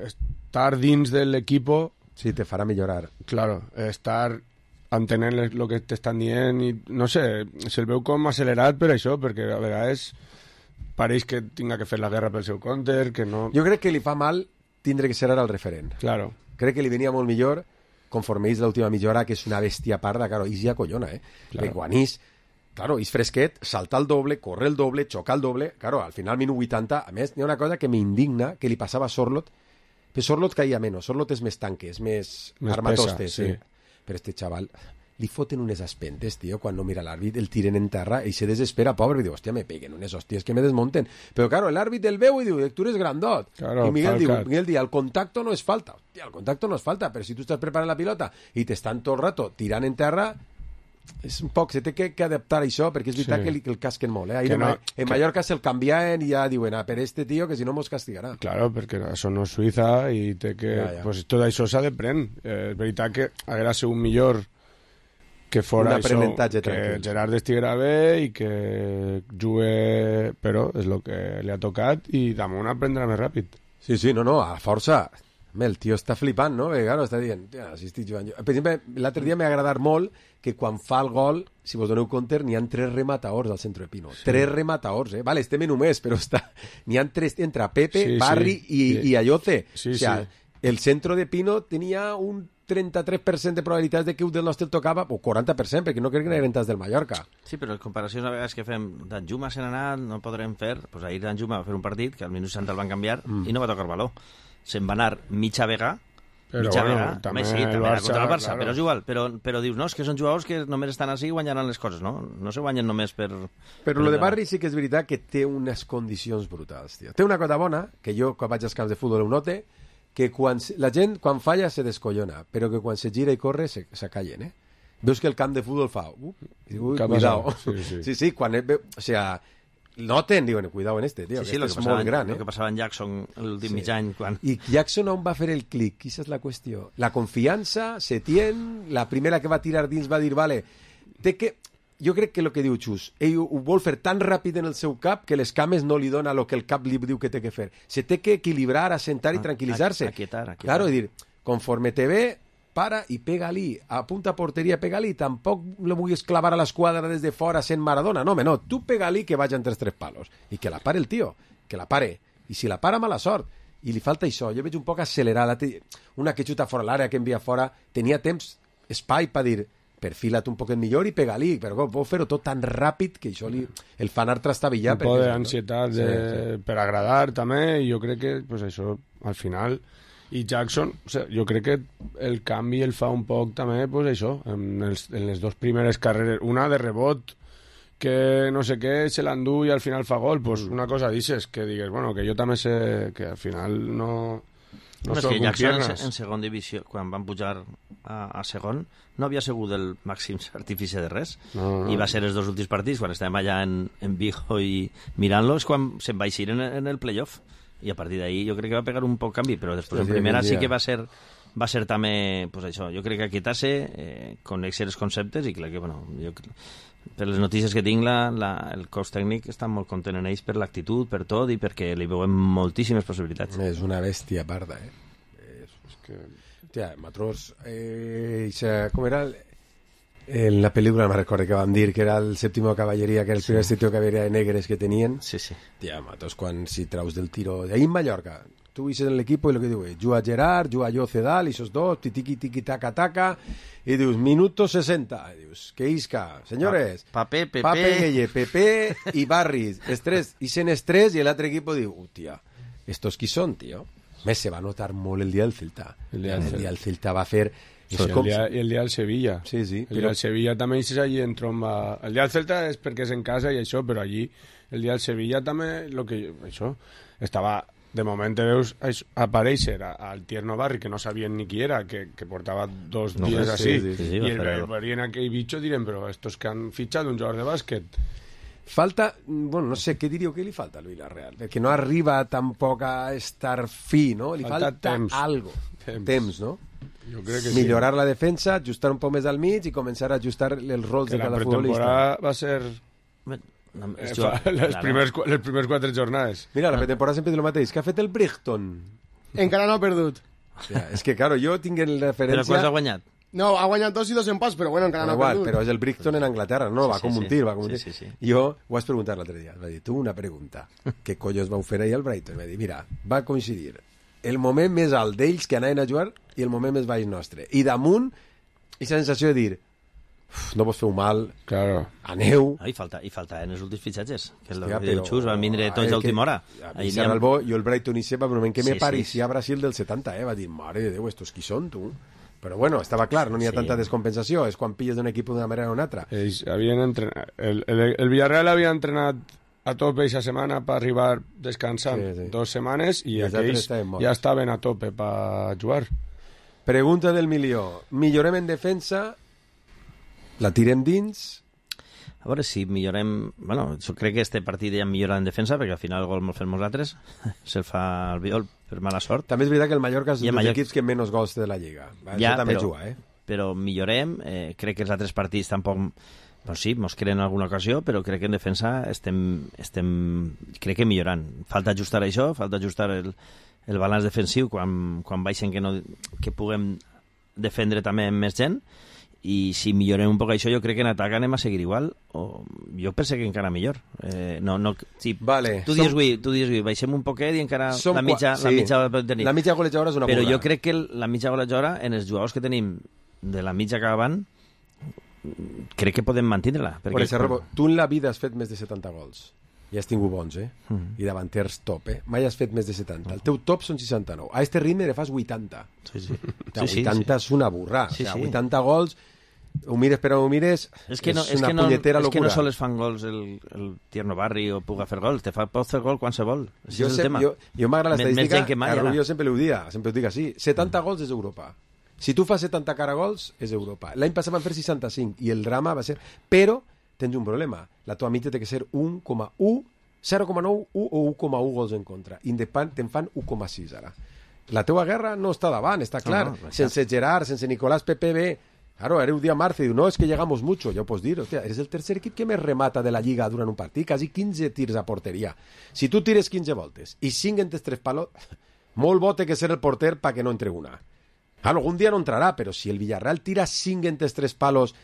estar dins de l'equip sí, te farà millorar. Claro, estar entenent el que t'estan dient i, no sé, se'l veu com accelerat per això, perquè a vegades pareix que tinga que fer la guerra pel seu counter, que no... Jo crec que li fa mal tindre que ser ara el referent. Claro. Crec que li venia molt millor conforme és l'última mitja hora, que és una bèstia parda, claro, és ja collona, eh? Claro. Que quan és, claro, és fresquet, salta el doble, corre el doble, xoca el doble, claro, al final minut vuitanta, a més, n'hi ha una cosa que m'indigna, que li passava a Sorlot, però Sorlot caia menys, Sorlot és més tanque, és més, més armatoste, pesa, sí. sí. Però este xaval, li foten unes aspentes, tio, quan no mira l'àrbit, el tiren en terra i se desespera, pobre, i diu, hòstia, me peguen unes hòsties que me desmonten. Però, claro, l'àrbit el veu i diu, tu eres grandot. Claro, I Miguel diu, Miguel diu, el contacto no és falta. Hòstia, el contacto no és falta, però si tu estàs preparant la pilota i t'estan tot el rato tirant en terra, és un poc, se té que, que adaptar a això, perquè és veritat sí. que, li, que el casquen molt, eh? Ahir no, en, en que... Mallorca se'l canviaven i ja diuen, ah, per este tio, que si no mos castigarà. Claro, perquè això no és Suïssa i té que... Ja, ja. Pues tot això s'ha de prendre. Eh, és veritat que haguera sigut millor que fora això, que tranquil. Gerard estiguera bé i que jugue, però és el que li ha tocat i damunt aprendrà més ràpid. Sí, sí, no, no, a força. El tio està flipant, no? Perquè, claro, està dient, si estic jugant jo. Per exemple, l'altre dia m'ha agradat molt que quan fa el gol, si vos doneu compte, n'hi ha tres rematadors al centre de Pino. Sí. Tres rematadors, eh? Vale, estem en només, però està... N'hi ha tres entre Pepe, sí, Barri sí. i, sí. i Ayoce. Sí, o sea, sí. El centre de Pino tenia un trenta-tres per cent de probabilitats de que un del nostre tocava, o quaranta per cent, perquè no crec que n'eren tants del Mallorca. Sí, però les comparacions a vegades que fem d'Anjuma se n'ha anat, no podrem fer... Pues ahir Anjuma va fer un partit que al minut seixanta el van canviar mm. i no va tocar valor. Se'n va anar mitja vega, però mitja bueno, vega, també, sí, també Barça, contra el Barça, claro. Però és igual, però, però dius, no, és que són jugadors que només estan així i guanyaran les coses, no? No se guanyen només per... Però lo de Barri sí que és veritat que té unes condicions brutals, tio. Té una cosa bona, que jo quan vaig als camps de futbol ho note, que quan la gent, quan falla, se descollona, però que quan se gira i corre, se, se callen, eh? Veus que el camp de futbol fa... Uh, uh, cuidao. Sí, sí. sí, sí, quan... O sea, noten, diuen, cuidado en este, tio, sí, sí, que este lo és molt gran, eh? El que passava en Jackson l'últim Sí. mig any. Quan... I Jackson on va fer el clic? Quina és la qüestió? La confiança, Setién, la primera que va tirar dins va dir, vale, té que... Jo crec que el que diu Xus, ell ho vol fer tan ràpid en el seu cap que les cames no li dona el que el cap li diu que té que fer. Se té que equilibrar, assentar i tranquil·litzar-se. Aquietar, aquietar. Claro, és dir, conforme te ve, para i pega-li, apunta a porteria, pega-li, tampoc lo vulguis clavar a l'esquadra des de fora sent Maradona, no, home, no, tu pega-li que vaig entre els tres palos, i que la pare el tio, que la pare, i si la para, mala sort, i li falta això, jo veig un poc accelerat, una que xuta fora l'àrea, que envia fora, tenia temps, espai per dir, perfila't un poquet millor i pega-li, però vol fer-ho tot tan ràpid que això li, el fan art trastabillar. Un poc d'ansietat de... sí, sí. per agradar també, i jo crec que pues, això, al final... I Jackson, o sea, jo crec que el canvi el fa un poc també, pues això, en, els, en les dues primeres carreres, una de rebot, que no sé què, se l'endú i al final fa gol, pues una cosa dices, que digues, bueno, que jo també sé que al final no... No, no és que Jackson en, en segon divisió, quan van pujar a, a segon, no havia sigut el màxim artifici de res. No, no. I va ser els dos últims partits, quan estàvem allà en, en Vigo i mirant-lo, és quan se'n va eixir en, en el playoff. I a partir d'ahí jo crec que va pegar un poc canvi, però després sí, en primera sí que va ser va ser també, pues això, jo crec que aquietar-se, eh, conèixer els conceptes, i clar que, bueno, jo, per les notícies que tinc, la, la, el cos tècnic està molt content en ells per l'actitud, per tot, i perquè li veuen moltíssimes possibilitats. És una bèstia parda, eh? És, és que... Tia, Matrós, eh, com era... El... En la pel·lícula no me recordo que van dir que era el sèptimo caballeria, que era el sí. primer sèptimo caballeria de negres que tenien. Sí, sí. Tia, Matos, quan si traus del tiro... Ahí en Mallorca, tu viste en l'equip i el que diu, juga Gerard, juga jo Cedal, i esos dos, tiqui, tiqui, taca, taca, i dius, minuto sesenta, i dius, que isca, senyores, Pape, Pepe, Pape, Gueye, Pepe i Barris, estrès, i sent estrès, i l'altre equip diu, hòstia, estos qui són, tio? Més se va notar molt el dia del Celta. El dia del Celta, el Celta va fer... Sí, el, dia, el dia del Sevilla. Sí, sí. El dia del Sevilla també és allí en tromba. El dia del Celta és perquè és en casa i això, però allí el dia del Sevilla també lo que això estava de moment te veus aparèixer al Tierno Barri, que no sabien ni qui era, que, que portava dos no, dies així, sí, sí, sí, i el verien aquell bitxo direm, però estos que han fitxat un jugador de bàsquet. Falta, bueno, no sé, què diríeu que li falta al Villarreal? Perquè no arriba tampoc a estar fi, no? Li falta, falta temps. Algo. Temps. temps, no? Jo crec que millorar sí. la defensa, ajustar un poc més al mig i començar a ajustar els rols que de cada futbolista. La pretemporada va ser... Eh, fa, les, primers, les primers quatre jornades. Mira, la pretemporada sempre diu el mateix. Què ha fet el Brighton? Encara no ha perdut. O sea, és que, claro, jo tinc en referència... Però quants ha guanyat? No, ha guanyat dos i dos empats, però bueno, encara no, no ha igual, perdut. Però és el Brighton en Anglaterra, no? Va sí, com sí, un tir, va com un tir. Sí, sí, sí. Jo ho vaig preguntar l'altre dia. Va dir, tu una pregunta. Què collons vau fer ahir al Brighton? Va dir, mira, va coincidir el moment més alt d'ells que anaven a jugar i el moment més baix nostre. I damunt, aquesta sensació de dir, no vos feu mal, claro. Aneu... Ah, i, falta, I falta en els últims fitxatges, que és el que diu Xus, van vindre tots a última hora. A mi serà el bo, jo el Brighton i sepa, però moment que sí, me parecia sí. Brasil del setanta, eh? Va dir, mare de Déu, estos qui són, tu? Però bueno, estava clar, no n'hi ha sí. tanta descompensació, és quan pilles d'un equip d'una manera o una altra. Ells havien entrenat... El, el, el Villarreal havia entrenat a tope aquesta setmana per arribar descansant sí, sí. dos setmanes i, I aquells ja estaven a tope per jugar. Pregunta del milió. Millorem en defensa? La tirem dins? A veure si millorem... Bueno, jo crec que este partit ja millora en defensa, perquè al final el gol me'l fem nosaltres. Se'l fa el Viol per mala sort. També és veritat que el Mallorca és un dels Mallorca... equips que menys gols té de la Lliga. Ja, també però, juga, eh? Però millorem. Eh, crec que els altres partits tampoc... Doncs sí, mos creen alguna ocasió, però crec que en defensa estem, estem crec que millorant. Falta ajustar això, falta ajustar el, el balanç defensiu quan, quan baixen que, no, que puguem defendre també amb més gent, i si millorem un poc això, jo crec que en atac anem a seguir igual, o jo penso que encara millor. Eh, no, no, sí, vale, tu dius, som... avui, tu dius avui, baixem un poquet i encara som la mitja, sí. la mitja tenir. La mitja golejadora és una però burra. Jo crec que la mitja golejadora, en els jugadors que tenim de la mitja cap avant, crec que podem mantindre-la. Perquè... Per Serrabo, tu en la vida has fet més de setanta gols. I has tingut bons, eh? Mm. I davanters top, eh? Mai has fet més de setanta. El teu top són seixanta-nou. A este ritme ne fas vuitanta. Sí, sí. O sí, vuitanta sí, és una burra. Sí, o sea, sí. vuitanta gols, ho mires però ho mires, és, que no, és una és que no, punyetera és locura. És que no sols fan gols el, el Tierno Barri o puga fer gols, te fa, pot fer gol qualsevol. Jo, és el tema. jo, jo m'agrada l'estadística, mai, jo sempre ho dia, sempre ho dic així, setanta mm. gols és Europa. Si tu fas setanta caragols, és Europa. L'any passat van fer seixanta-cinc i el drama va ser... Però tens un problema. La teva mitja té que ser un coma u zero coma nou, u o u coma u gols en contra. Independent te'n fan u coma sis ara. La teua guerra no està davant, està clar. No, no, sense Gerard, sense Nicolás P P B. Claro, era un dia Marce y diu, no, es que llegamos mucho. Ja ho pots dir, hòstia, eres el tercer equip que més remata de la Lliga durant un partit, quasi quinze tirs a porteria. Si tu tires quinze voltes i cinc en tes tres palos, molt bo té que ser el porter pa que no entre una. Claro, algun dia no entrarà, però si el Villarreal tira cinc en tes tres palos,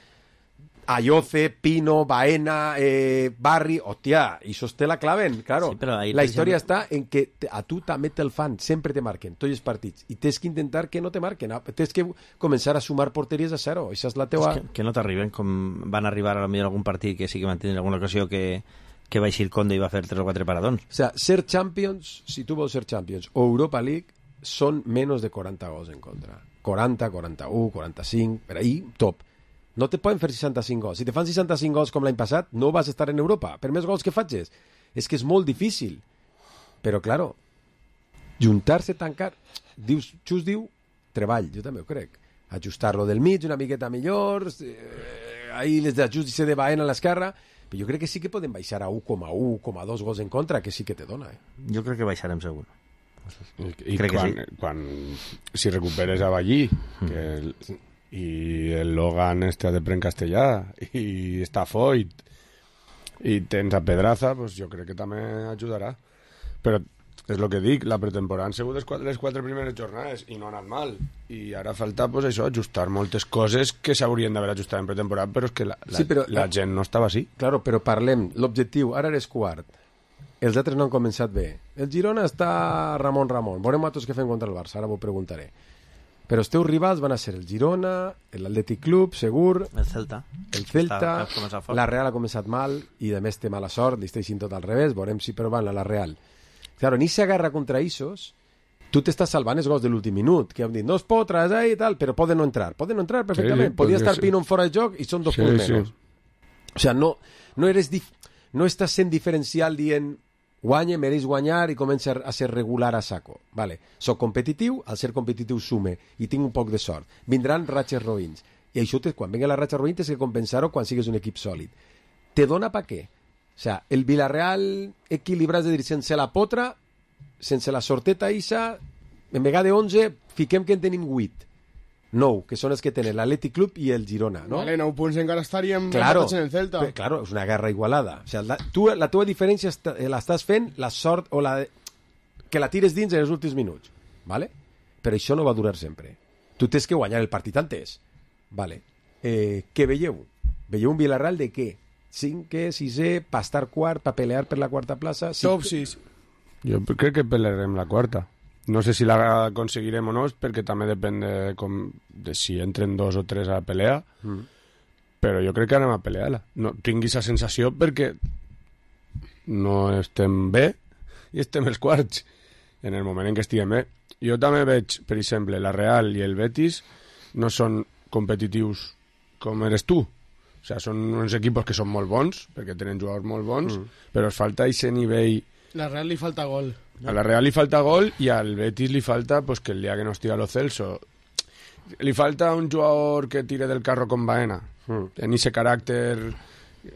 Ayoce, Pino, Baena, eh, Barri, hòstia, i sosté la claven, claro. Sí, ahí, la història exemple... està en que te, a tu també te'l fan, sempre te marquen, tots els partits, i tens que intentar que no te marquen, tens que començar a sumar porteries a zero, això és la teua... És que, que no t'arriben, com van arribar a lo millor algun partit que sí que van tenir alguna ocasió que, que va eixir Conde i va fer tres o quatre paradons. O sea, ser Champions, si tu vols ser Champions o Europa League, són menys de quaranta gols en contra. quaranta, quaranta-u, quaranta-cinc, per ahí, top. No te poden fer seixanta-cinc gols. Si te fan seixanta-cinc gols com l'any passat, no vas estar en Europa. Per més gols que facis. És que és molt difícil. Però, claro, juntar-se, tancar... Dius, Xus diu, treball, jo també ho crec. Ajustar-lo del mig una miqueta millor, eh, ahí les d'ajust de Baena a l'esquerra, però jo crec que sí que poden baixar a u coma u, u coma dos gols en contra, que sí que te dona. Eh? Jo crec que baixarem segur. I, i crec quan, que sí. Quan, si recuperes a Ballí, mm. que... El, i el Logan este de pre en castellà i està Foyt i tens a Pedraza, pues jo crec que també ajudarà, però és el que dic, la pretemporada han sigut les quatre, les quatre primeres jornades i no ha anat mal i ara falta pues, això, ajustar moltes coses que s'haurien d'haver ajustat en pretemporada, però és que la, la, sí, però, la gent no estava així. Claro, però parlem, l'objectiu, ara eres quart, els altres no han començat bé, el Girona està Ramon Ramon, veurem a tots què fem contra el Barça, ara vos preguntaré. Però els teus rivals van a ser el Girona, l'Atlètic Club, segur... El Celta. El Celta, la Real ha començat mal i de més té mala sort, li està aixint tot al revés, veurem si però van a la Real. Claro, en aquesta guerra contra Isos, tu t'estàs salvant els gols de l'últim minut, que han dit, no es pot trasllar i tal, però poden no entrar. Poden no entrar perfectament. Sí, Podia estar sí. Pino en fora de joc i són dos sí, punts sí. menys. O sigui, no, no, eres dif... no estàs sent diferencial dient... guanya, mereix guanyar i comença a ser regular a saco. Vale. Soc competitiu, al ser competitiu sume i tinc un poc de sort. Vindran ratxes roïns. I això, quan vengui la ratxa roïn, tens que compensar-ho quan sigues un equip sòlid. Te dona pa què? O sea, el Villarreal equilibrat, és a dir, sense la potra, sense la sorteta isa, en vegada de onze, fiquem que en tenim vuit. nou, que són els que tenen l'Atlètic Club i el Girona, no? Vale, nou punts encara estaríem claro, en el Celta. Però, claro, és una guerra igualada. O sea, la, tu, la teva diferència està, l'estàs fent la sort o la... que la tires dins en els últims minuts, vale? Però això no va durar sempre. Tu tens que guanyar el partit antes. Vale. Eh, què veieu? Veieu un Villarreal de què? Cinquè, sisè, pa estar quart, pa pelear per la quarta plaça? Top sis. Jo crec que pelearem la quarta. No sé si la aconseguirem o no, perquè també depèn de, com, de si entren dos o tres a la pelea, mm. però jo crec que anem a pelear-la. No, tinc aquesta sensació perquè no estem bé i estem els quarts en el moment en què estiguem bé. Jo també veig, per exemple, la Real i el Betis no són competitius com eres tu. O sigui, són uns equipos que són molt bons, perquè tenen jugadors molt bons, mm. però es falta aquest nivell... La Real li falta gol. A la Real li falta gol i al Betis li falta pues, que el dia que no estiga Lo Celso li falta un jugador que tire del carro con Baena mm. en ese caràcter.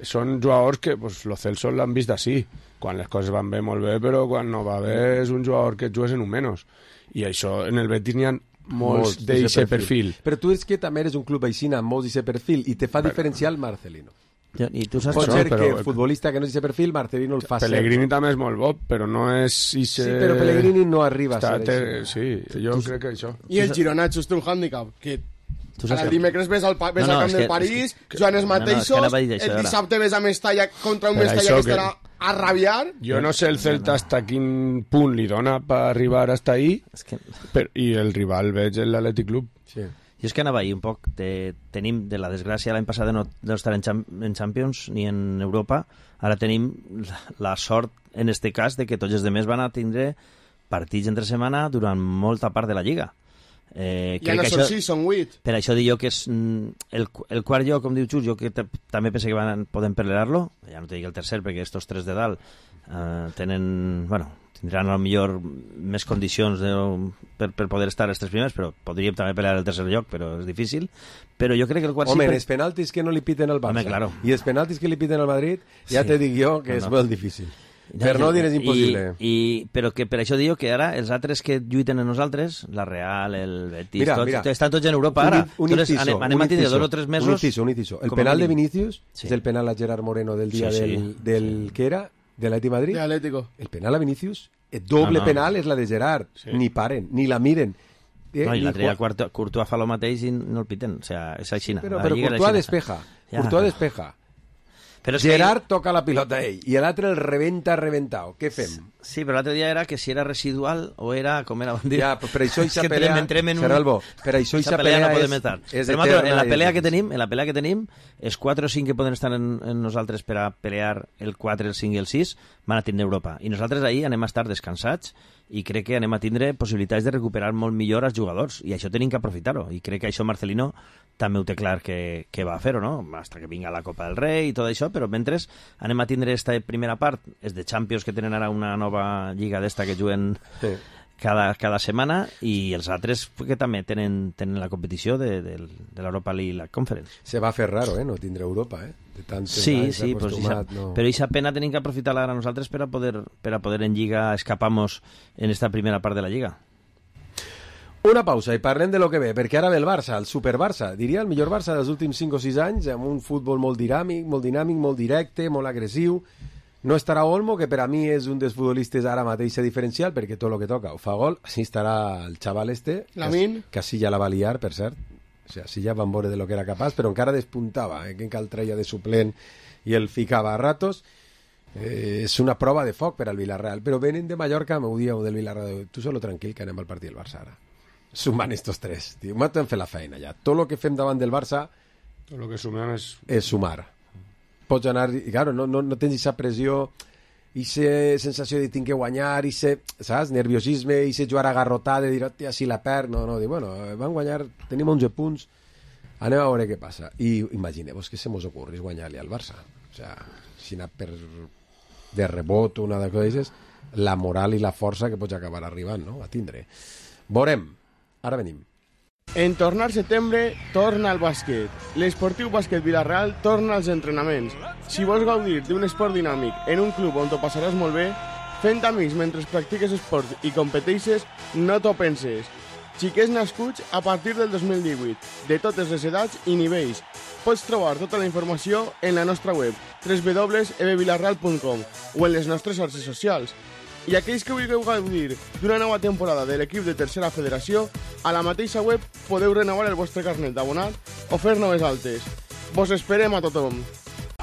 Són jugadors que pues, Lo Celso l'han vist així, quan les coses van bé molt bé, però quan no va bé és un jugador que jugues en un menys, i això en el Betis n'hi ha molts d'aquest perfil. Però tu és que també eres un club així amb molts d'aquest perfil i te fa però... diferenciar el Marcelino. I tu saps pot això, ser però... que el futbolista que no és aquest perfil, Marcelino el fa Pellegrini ser. També és molt bo, però no és... Ixe... Sí, però Pellegrini no arriba Està, a ser te... Sí, jo tu... crec que això... I el Girona just té un hàndicap, que el dimecres ves al, ves no, no, al camp del París, que... jugant els mateixos, no, no, el dissabte ves a Mestalla contra un Mestalla que estarà a rabiar. Jo no sé el Celta hasta quin punt li dona per arribar hasta ahí, es que... però, i el rival veig l'Atlètic Club. Sí. Jo és que anava ahir un poc, de, tenim de la desgràcia l'any passat de no, de no estar en, en Champions ni en Europa, ara tenim la, la sort en este cas de que tots els demés van a tindre partits entre setmana durant molta part de la Lliga. Eh, ja no són sis, són vuit. Per això dic jo que és el, el quart lloc, com diu Xus, jo que també penso que van, poden pelear-lo, ja no te dic el tercer perquè estos tres de dalt eh, tenen, bueno, tindran a lo millor més condicions de, per, per poder estar els tres primers, però podríem també pelear el tercer lloc, però és difícil. Però jo crec que el quart... Home, sí, els penaltis que no li piten al Barça Home, claro. i els penaltis que li piten al Madrid, ja sí. te dic jo que no, és no. molt difícil. Per no dir és impossible. I, i, però que per això diu que ara els altres que lluiten en nosaltres, la Real, el Betis, mira, tots, mira. estan tots en Europa ara. Un, un inciso, anem, anem un a tindre inciso, dos o tres mesos... Un inciso, un inciso. El penal de Vinicius sí. és el penal a Gerard Moreno del dia sí, sí. del, del sí. que era? De l'Atlètic Madrid? De Atlético. El penal a Vinicius, el doble no, no. penal és la de Gerard. Sí. Ni paren, ni la miren. Eh, no, i l'altre dia Courtois fa el mateix i no el piten. O sea, és així. Però, però Courtois despeja. Ja. Courtois despeja. Però Gerard que... toca la pilota a ell i l'altre el rebenta reventau. Què fem? Sí, però l'altre dia era que si era residual o era com era... Ja, per això eixa es pelea... Entrem en un... Serralbo, per això eixa pelea, no és, és però eterna. En la pelea que tenim, en la pelea que tenim, els quatre o cinc que poden estar en, en nosaltres per a pelear el quatre, el cinc i el sis van a tindre Europa. I nosaltres ahir anem a estar descansats i crec que anem a tindre possibilitats de recuperar molt millor els jugadors i això tenim que aprofitar-ho i crec que això Marcelino també ho té clar que, que va a fer-ho, no? Hasta que vinga la Copa del Rei i tot això, però mentre anem a tindre esta primera part, és de Champions que tenen ara una nova lliga d'esta que juguen sí. cada, cada setmana i els altres que també tenen, tenen la competició de, de, de l'Europa League i la Conference. Se va fer raro, eh? No tindre Europa, eh? De tant sí, sí, pues esa, no. Però aquesta pena tenim que aprofitar-la ara nosaltres per a poder, per a poder en Lliga escapamos en esta primera part de la Lliga. Una pausa i parlem de lo que ve, perquè ara ve el Barça, el Super-Barça, diria el millor Barça dels últims cinc o sis anys, amb un futbol molt dinàmic, molt dinàmic, molt directe, molt agressiu. No estarà Olmo, que per a mi és un dels futbolistes ara mateix diferencial, perquè tot el que toca ho fa gol. Sí estarà el xaval este, Lamin. que sí ja la va liar, per cert. O sigui, sí ja van veure de lo que era capaç, però encara despuntava, eh? Que encara el treia de suplent i el ficava a ratos. Eh, és una prova de foc per al Villarreal, però venen de Mallorca, m'ho dieu del Villarreal, tu solo tranquil que anem al partit del Barça ara. Sumant estos tres, tio. M'ho hem fet la feina ja. Tot el que fem davant del Barça tot el que sumem és... és sumar. Pots anar... I, claro, no, no, no tens aquesta pressió, aquesta sensació de tinc que guanyar, aquest, saps? Nerviosisme, aquest jugar agarrotat, de dir, hòstia, si la perd... No, no, dir, bueno, van guanyar, tenim onze punts, anem a veure què passa. I imagineu-vos que se mos ocorris guanyar-li al Barça. O sea, si anar per de rebot una de coses, la moral i la força que pots acabar arribant, no?, a tindre. Veurem. Ara venim. En tornar setembre, torna al bàsquet. L'esportiu bàsquet Villarreal torna als entrenaments. Si vols gaudir d'un esport dinàmic en un club on t'ho passaràs molt bé, fent amics mentre practiques esport i competeixes, no t'ho penses. Xiquets nascuts a partir del dos mil divuit, de totes les edats i nivells. Pots trobar tota la informació en la nostra web, w w w punt e b villarreal punt com o en les nostres xarxes socials. I aquells que vulgueu gaudir d'una nova temporada de l'equip de Tercera Federació, a la mateixa web podeu renovar el vostre carnet d'abonat o fer noves altes. Vos esperem a tothom.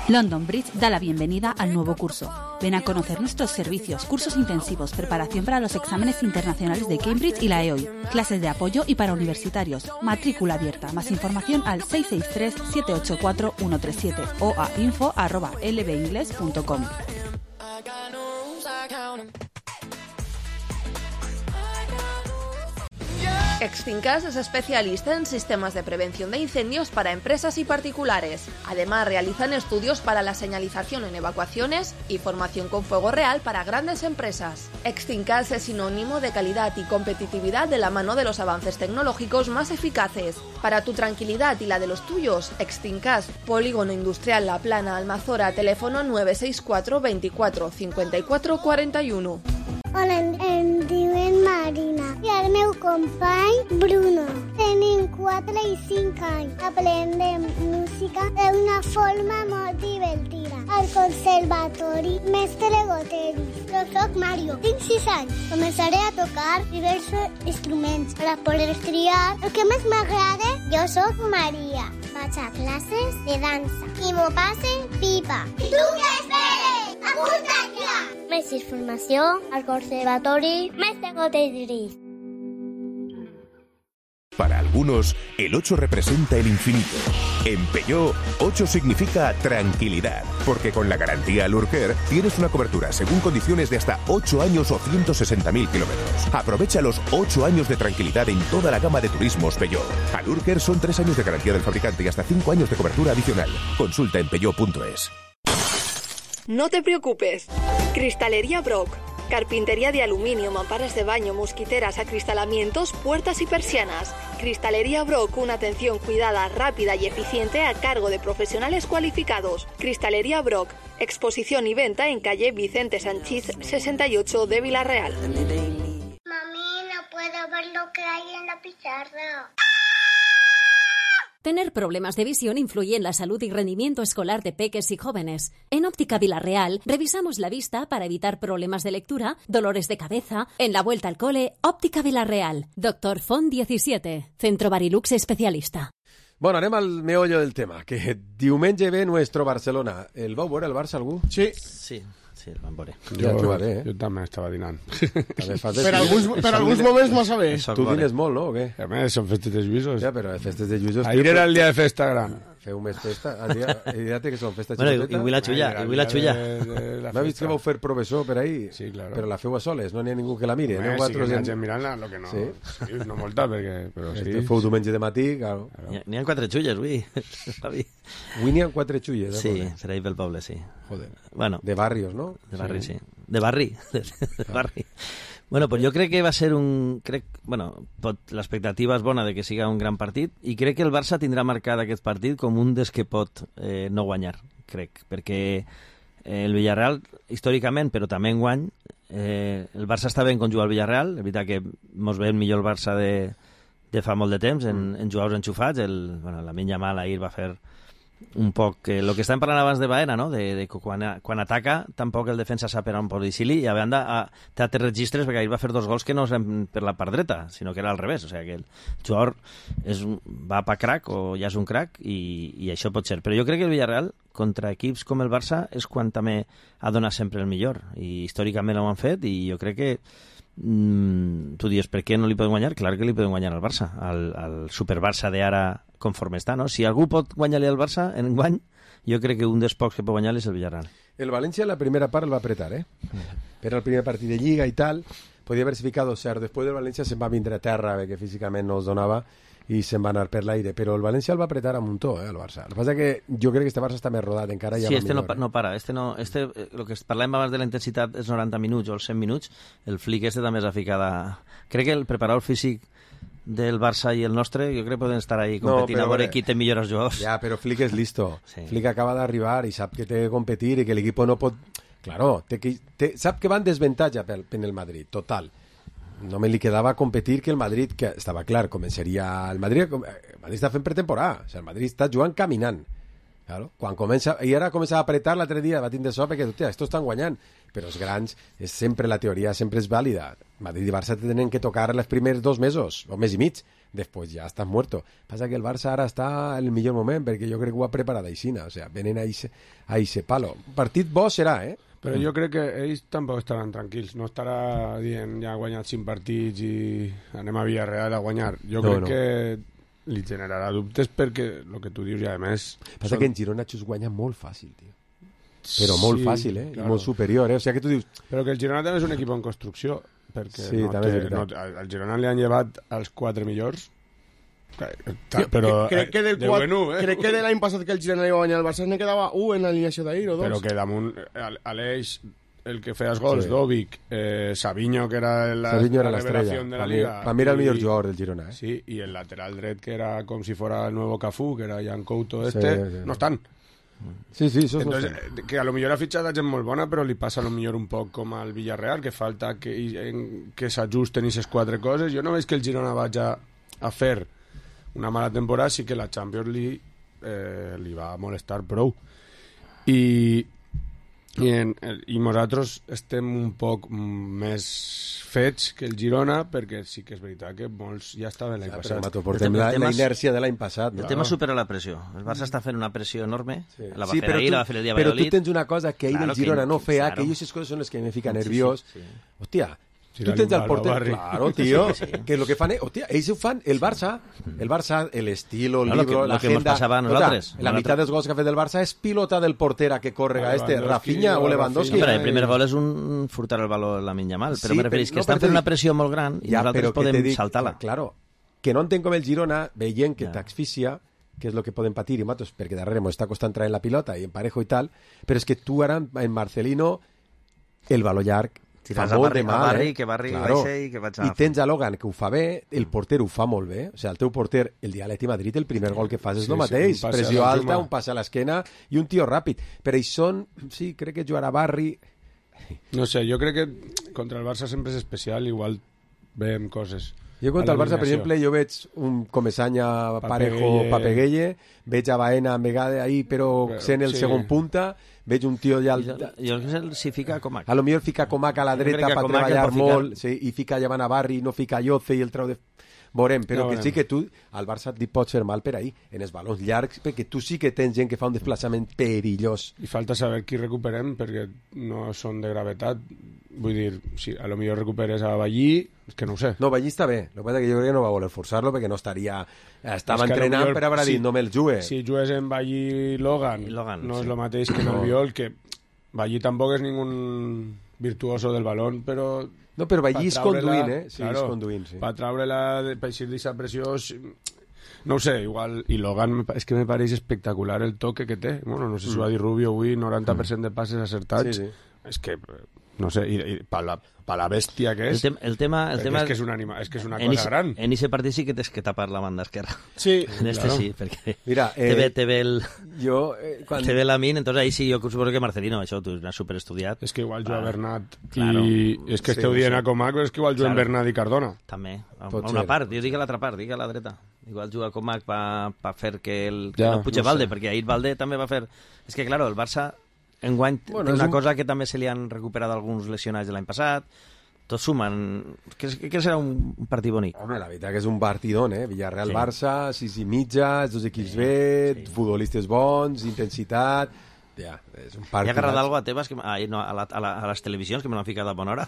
London Bridge da la bienvenida al nuevo curso. Ven a conocer nuestros servicios, cursos intensivos, preparación para los exámenes internacionales de Cambridge y la E O I, clases de apoyo y para universitarios, matrícula abierta. Más información al seis seis tres, siete ocho cuatro, uno tres siete o a info arroba l b ingles punto com. Extincas es especialista en sistemas de prevención de incendios para empresas y particulares. Además, realizan estudios para la señalización en evacuaciones y formación con fuego real para grandes empresas. Extincas es sinónimo de calidad y competitividad de la mano de los avances tecnológicos más eficaces. Para tu tranquilidad y la de los tuyos, Extincas, Polígono Industrial La Plana, Almazora, teléfono nueve seis cuatro, veinticuatro, cincuenta y cuatro, cuarenta y uno. Hola, em diuen Marina i el meu company Bruno. Tenim quatre i cinc anys. Aprendem música d'una forma molt divertida. Al conservatori Mestre Goteri. Jo soc Mario, tinc sis anys. Començaré a tocar diversos instruments per a poder triar el que més m'agrada. Jo soc Maria. Vaig a classes de dansa i m'ho passe pipa. I tu què esperes? Apunta't ja! Més informació al Conservatori Mestre Goteri. Para algunos, el ocho representa el infinito. En Peugeot, ocho significa tranquilidad, porque con la garantía Lurker tienes una cobertura según condiciones de hasta ocho años o ciento sesenta mil kilómetros. Aprovecha los ocho años de tranquilidad en toda la gama de turismos Peugeot. A Lurker son tres años de garantía del fabricante y hasta cinco años de cobertura adicional. Consulta en peugeot punto es. No te preocupes. Cristalería Brock. Carpintería de aluminio, mamparas de baño, mosquiteras, acristalamientos, puertas y persianas. Cristalería Brock, una atención cuidada, rápida y eficiente a cargo de profesionales cualificados. Cristalería Brock, exposición y venta en calle Vicente Sanchís sesenta y ocho de Vila-real. Mami, no puedo ver lo que hay en la pizarra. Tener problemas de visión influye en la salud y rendimiento escolar de peques y jóvenes. En Óptica Vila-real revisamos la vista para evitar problemas de lectura, dolores de cabeza. En la vuelta al cole, Óptica Vila-real. Doctor Font diecisiete, Centro Barilux especialista. Bueno, anem al meollo del tema, que diumenge ve nuestro Barcelona. El vau veure el Barça algú? Sí. Sí. Sí, el van veure. Jo, ja trobaré, eh? jo també estava dinant. Per alguns, per alguns moments massa bé. Tu dines molt, no, o què? A més, són festes de lluïsos. Ja, però festes de lluïsos... Ahir era el dia de festa gran. Feu més festa? El dia, el dia que són festes bueno, xicoteta? I avui la xulla, i avui la xulla. M'ha vist que vau fer professor per ahí? Sí, claro. Però la feu a soles, no n'hi ha ningú que la mire. Home, sí que n'hi ha gent mirant-la, lo que no... Sí? Sí, no molta, perquè... Però sí. Este fou diumenge de matí, claro. N'hi ha quatre xulles, avui. Avui n'hi ha quatre xulles, eh? Sí, serà ahir pel poble, sí. Joder. Bueno. De barrios, no? De barri, sí. De barri. De barri. Bueno, pues jo crec que va ser un... Crec, bueno, l'expectativa és bona de que siga un gran partit i crec que el Barça tindrà marcat aquest partit com un dels que pot eh, no guanyar, crec, perquè eh, el Villarreal, històricament, però també enguany, eh, el Barça està ben quan juga al Villarreal, és veritat que mos veiem millor el Barça de, de fa molt de temps, en, en jugadors enxufats, el, bueno, la Lamine Yamal ahir va fer un poc el eh, que estàvem parlant abans de Baena, no? de, de quan, quan ataca tampoc el defensa sap per on posicionar i a banda a, té altres registres perquè ahir va fer dos gols que no eren per la part dreta sinó que era al revés, o sigui que el jugador és un, va pa crack o ja és un crack i, i això pot ser, però jo crec que el Villarreal contra equips com el Barça és quan també ha donat sempre el millor i històricament ho han fet i jo crec que mm, tu dius per què no li poden guanyar? Clar que li poden guanyar al Barça, al, al Super Barça d'ara conforme està, no? Si algú pot guanyar-li al Barça en guany, jo crec que un dels pocs que pot guanyar és el Villarreal. El València en la primera part el va apretar, eh? Era el primer partit de Lliga i tal, podia haver-se ficado cert. Després del València se'n va vindre a terra, perquè físicament no els donava, i se'n va anar per l'aire. Però el València el va apretar a muntó, eh, el Barça. El que passa que jo crec que este Barça està més rodat, encara ja sí, va este millor. Sí, no, no para. Este no, este, el que parlàvem abans de la intensitat és noranta minuts o els cent minuts, el flic este també s'ha ficat... Crec que el preparador físic del Barça i el nostre, jo crec que poden estar ahí competint no, a veure qui té millors jugadors. Ja, però Flick és listo. Sí. Flick acaba d'arribar i sap que té que competir i que l'equip no pot... Claro, té que, té, sap que va en desavantatge per, per el Madrid, total. Només li quedava competir que el Madrid, que estava clar, començaria... El Madrid, el Madrid està fent pretemporada, o sigui, el Madrid està jugant caminant. Claro, quan comença, i ara comença a apretar l'altre dia, va tindre sort perquè, hòstia, estos estan guanyant, però els grans, és sempre la teoria sempre és vàlida. Madrid i Barça tenen que tocar els primers dos mesos, o mes i mig, després ja estàs muerto. Passa que el Barça ara està en el millor moment, perquè jo crec que ho ha preparat aixina, o sigui, venen a ese, a ese palo. Partit bo serà, eh? Però jo crec que ells tampoc estaran tranquils, no estarà dient ja ha guanyat cinc partits i anem a Villarreal a guanyar. Jo no, crec no. que li generarà dubtes perquè el que tu dius ja a més... Passa són... que en Girona Xus guanya molt fàcil, tio. Però molt sí, fàcil, eh? Claro. I molt superior, eh? O sigui que tu dius... Però que el Girona també és un equip en construcció, perquè sí, no té, no, al Girona li han llevat els quatre millors, però crec que del de quatre, bueno, eh? crec que de l'any passat que el Girona li va guanyar el Barça ne quedava un en l'alineació d'ahir o dos. Però que damunt Aleix, el que feia els gols, sí. Dòvic, eh, Savinho, que era la, Savinho era la revelació de la Liga. Per mi era el millor jugador del Girona, eh? Sí, y el lateral dret, que era com si fuera el nuevo Cafú, que era Jan Couto este, sí, sí, no estan. Sí, sí, eso Entonces, no sé. que a lo millor ha fitxat gent molt bona, però li passa a lo millor un poc com al Villarreal, que falta que, que s'ajusten aquestes quatre coses. Jo no veig que el Girona vagi a fer una mala temporada, sí que la Champions League eh, li va molestar prou. I, i, en, i nosaltres estem un poc més fets que el Girona, perquè sí que és veritat que molts ja estaven l'any ja, passat. Mato, portem la, la inèrcia de l'any passat. El no? tema supera la pressió. El Barça està fent una pressió enorme. Sí. La va sí, fer ahir, tu, la va fer el dia Però Valladolid. tu tens una cosa que ahir claro, el Girona que, no feia, claro. que jo aquestes coses són les que me fica nerviós. Sí, sí, sí. Hòstia, si tu tens el porter... Barri. Claro, tío, sí, sí. Que lo que fan... Hòstia, ells ho fan, el Barça, el Barça, el estilo, el no, libro, lo que, la lo que agenda... Nos pasaba a nosaltres. La mitad dels gols que ha fet el Barça és pilota del portera que corre a este, Rafinha o Lewandowski. No, però el primer gol és un furtar el valor a la Lamine Yamal, però sí, me referís que no, estan fent una pressió molt gran i ja, nosaltres podem dic, saltar-la. Claro, que no entenc com el Girona, veient que ja. t'asfixia, que és el que poden patir i matos, perquè darrere m'ho està costant traient la pilota i en parejo i tal, però és que tu ara en Marcelino el valor llarg Tiràs fa a molt Barri, de mal, a Barri, eh? que Barri Claro. baixa i que vaig a... I tens a Logan, que ho fa bé, el porter ho fa molt bé. O sigui, el teu porter, el dia a l'Atleti Madrid, el primer gol que fas és Sí, el sí, mateix. un passe Pressió a la alta, Juma. un passe a l'esquena i un tio ràpid. Però ells són... Sí, crec que jugar a Barri... No sé, jo crec que contra el Barça sempre és especial, igual veiem coses. Jo contra A el Barça, per l'eliminació. exemple, jo veig un Comesanya, Parejo, Papegueye. Papegueye, veig a Baena, Megade ahí, però Però, sent el sí. segon punta, veig un tio ja... Jo, jo crec que s'hi fica Comac. A lo millor fica Comac a la Jo crec dreta que per Comac el treballar pot ficar. molt, sí, i fica llevant a Barri, no fica Yoce i el treu de... Veurem, però Ja que veurem. sí que tu, al Barça et pot ser mal per ahí, en els balons llargs, perquè tu sí que tens gent que fa un desplaçament perillós. I falta saber qui recuperem, perquè no són de gravetat. Vull dir, si a lo millor recuperes a Ballí, és que no ho sé. No, Ballí està bé, el que passa que jo crec que no va voler forçar-lo perquè no estaria... Estava És que a lo entrenant millor, per haver dit, si- no me'l jugue. Si jugues en Ballí Logan, Logan, no sí. és el mateix que en No. Albiol, que Ballí tampoc és ningún virtuoso del balón, però... No, però Ballí és pa traure-la- conduint, eh? Sí, és conduint, sí. Per treure-la, de- per eixir d'aquesta pressió... sí, no ho sé, igual... I Logan, me pa- és que me pareix espectacular el toque que té. Bueno, no sé si ho va dir Rubio avui, noranta per cent de passes acertats. Sí, sí. És que, no sé, i, i per la, pa la bèstia que El, és... tem, el tema... El perquè tema és que és una, anima, és, que és una en cosa ixe- gran. En aquest partit sí que tens que tapar la banda esquerra. Sí. En este Claro. sí, perquè Mira, te, eh, ve, te ve el... Jo, eh, quan... Te ve la min, entonces ahí sí, jo suposo que Marcelino, això tu n'has superestudiat. És que igual juga Va. Bernat Claro. i... És que Sí, esteu dient sí. a Comac, però és que igual juguen Claro. Bernat i Cardona. També, a, Pot a una ser, part, pot jo dic a l'altra part, dic a la dreta. Igual juga Comac pa, pa fer que, el, que Ja, no puja no Valde, sé. perquè ahir Valde també va fer... És que, claro, el Barça enguany Bueno, té és una un- cosa que també se li han recuperat alguns lesionats de l'any passat, tots sumen... Que, que serà un, un partit bonic. Home, la veritat que és un partidón, eh? Villarreal-Barça, sis i mitja, els dos equips Sí, bé, sí. futbolistes bons, intensitat... Ja, és un Hi ha partit... agarrat algo a Tebas, que, ah, no, a, la, a, la, a les televisions, que me l'han ficat a bona hora.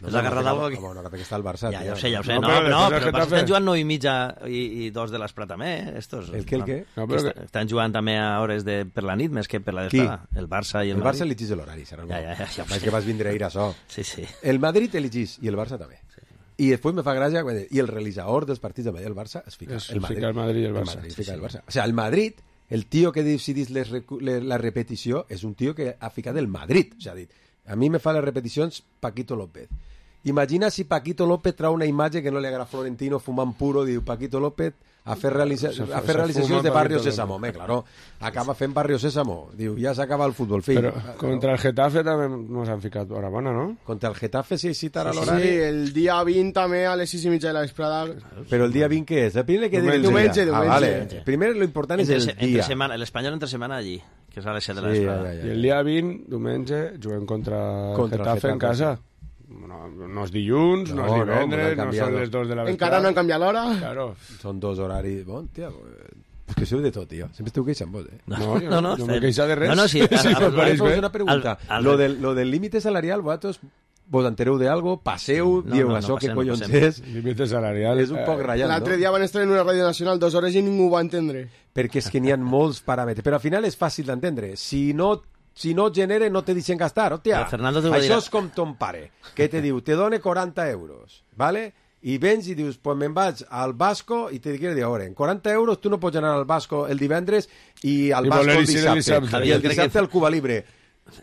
No, Has agarrat algo que... Bueno, perquè està el Barça, Ja, tio. ja ho sé, ja ho sé. No, No, però no, després però el el Barça Getafe- estan jugant nou i mitja i, i dos de les també, eh? Estos, El què, el què? No, Que però està, que- estan jugant també a hores de, per la nit, més que per la Qui? vesprada. El Barça i el, El Barça Madrid. elegís l'horari, serà el Ja, bo. ja, ja, ja ho Vaig sé. que vas vindre ahir a so. Sí, sí. El Madrid elegís i el Barça també. I després me fa gràcia quan... I el realitzador dels partits de Madrid i el Barça es fica Es el fica Madrid. el Madrid i el Barça. Madrid Sí, fica el sí. Barça. O sea, el Madrid, el tio que decidís les, recu- le- la repetició és un tio que ha ficat el Madrid. O sea, ha dit, a mi me fa les repeticions Paquito López. Imagina si Paquito López trau una imatge que no li agrada a Florentino fumant puro, diu Paquito López a fer, realitza Se- a se fer realitzacions fuma de Barrio Paquito Sésamo. López. Home, claro, acaba fent Barrio Sésamo. Diu, ja s'acaba el futbol, fill. Però contra el Getafe també nos han ficat hora bona, no? Contra el Getafe sí citarà Sí, l'horari. el dia vint també a les sis i mitja de la vesprada. Però el dia vint què és? El primer que Diumenge. dir el dia. Diumenge, Ah, diumenge. vale. Primer lo important és Entre, el se- entre dia. semana, l'Espanyol entre setmana allí, que és a les set de la Sí, vesprada. ja, ja, I el dia vint, diumenge, juguem contra, Contra el Getafe en Getafe, casa. No, no és dilluns, no, No, és no, divendres, no no, han són canviat. les dos de la vesprada. Encara no han canviat l'hora. Claro. Són dos horaris. Bon, tia, és que sou de tot, tio. Sempre esteu queixant vos, eh? No, jo no, no, no, jo m'he fem- queixat de res. No, no, sí, Sí, a- a- me pareix Us bé. una pregunta. Al- al- Lo del, lo del límite salarial, vosaltres vos entereu de algo? Passeu, No, dieu no, no això, que passem, no collons passem. és? Límite salarial. És un poc ratllat, L'altre no? dia van estar en una ràdio nacional dues hores i ningú ho va entendre. Perquè és que n'hi ha molts paràmetres. Però al final és fàcil d'entendre. Si no si no genere, no te deixen gastar. Hòstia, Però Fernando t'ho va això dir- és com ton pare, que te diu, te done quaranta euros, ¿vale? I vens i dius, pues me'n vaig al Basco i te dic, a veure, en quaranta euros tu no pots anar al Basco el divendres i al I Basco voler el eixir el dissabte. dissabte. I el Jo crec dissabte que- al Cuba Libre.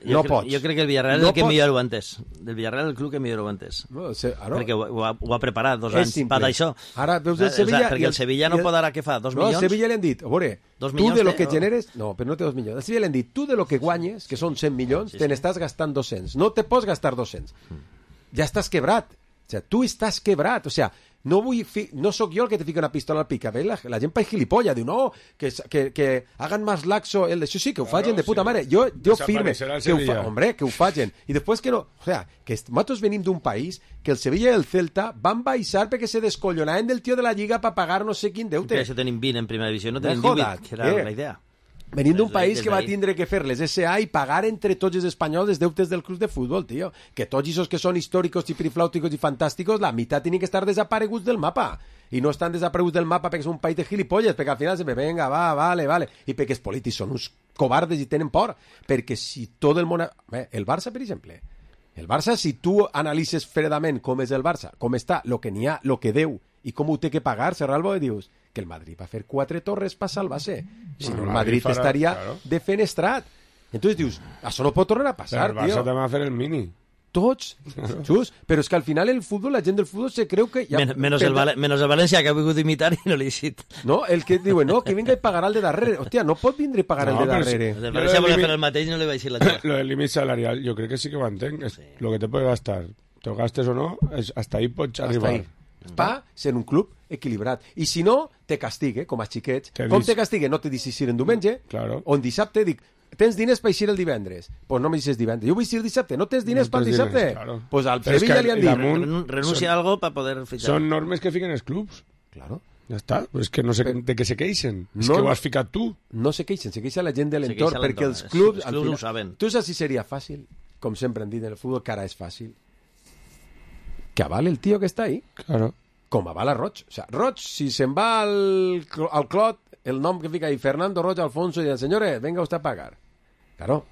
Jo No crec- pots. Jo crec que el Villarreal No és el que pots. millor ho ha entès. Del Villarreal el club que millor ho ha entès. No, o sigui, ara, Perquè ho, ho, ha, ho ha preparat dos és anys simple. per això. Ara veus el O sigui, Sevilla... perquè i el Sevilla no i pot ara, què fa, dos no, milions? al Sevilla li han dit, a veure, Dos tu milions de lo té, que o- generes... No, però no té dos milions. Al Sevilla li han dit, tu de lo que guanyes, que són cent milions, Sí, te sí. n'estàs gastant dos-cents. No te pots gastar dos-cents. Ja estàs quebrat. O sea, tu estàs quebrat. O sea, no vull fi... no sóc jo el que te fica una pistola al pica. Ve la, la gent pa gilipollas. Diu, no, que, que, que hagan más laxo el de... Això sí, que ho Claro, facin de puta sí. mare. Jo, jo firme Desaparecerà el que ho fa... Sevilla. Hombre, que ho facin. I després que no... O sea, que est- nosaltres venim d'un país que el Sevilla i el Celta van baixar perquè se descollonaven del tio de la Lliga per pagar no sé quin Que deute. això tenim vint en primera divisió, no Me tenim jodas, divuit, que era què? la idea. Venim d'un Des país d'ahí- que va des d'ahí. tindre que fer les S A i pagar entre tots els espanyols els deutes del club de futbol, tio. Que tots aquests que són històricos i periflàuticos i fantàsticos, la meitat tenen que estar desapareguts del mapa. I no estan desapareguts del mapa perquè és un país de gilipolles, perquè al final se me venga, va, vale, vale. I perquè els polítics són uns covardes i tenen por. Perquè si tot el món... Bé, el Barça, per exemple, el Barça, si tu analitzes fredament com és el Barça, com està, lo que n'hi ha, lo que deu i com ho té que pagar, Serralbo, i dius que el Madrid va fer quatre torres per salvar-se. Si no, Bueno, el el Madrid Madrid farà- estaria claro. defenestrat. Entonces dius, això no pot tornar a Però passar, el Barça tio. també va fer el mini. Tots, just, però és que al final el futbol, la gent del futbol se creu que... Ja, Men menos, el Val menos el València, que ha vingut a imitar i no l'he dit. No, el que diuen, no, que vinga i pagarà el de darrere. Hòstia, no pot vindre i pagar no, el de darrere. El València volia fer el mateix i no li vaig dir la xerra. Lo del límit salarial, jo crec que sí que ho entenc. Sí. Lo que te puede gastar, te lo gastes o no, es, hasta ahí pots arribar. Ahí. Pa ser un club equilibrat. I si no, te castigue, com a xiquets. Te com dis... te castigue? No te deixis ir en diumenge, claro. O en dissabte dic, tens diners per eixir el divendres? Doncs pues no me deixes divendres. Jo vull eixir el dissabte. No tens diners no per dissabte? Doncs claro. pues al Sevilla li han dit. Damunt, renuncia a algo para poder fichar. Són normes que fiquen els clubs. Claro. Ja està. Pues que no sé de què se queixen. No, és que ho has ficat tu. No se queixen, se queixa la gent de l'entorn, perquè els clubs... Els clubs final, ho saben. Tu saps si seria fàcil, com sempre han dit en el futbol, que ara és fàcil, que avale el tio que està ahí. Claro. Com avala Roig. O sea, Roig, si se'n va al, al Clot, el nom que fica ahí, Fernando Roig Alfonso, i diuen, senyores, venga usted a pagar. Claro,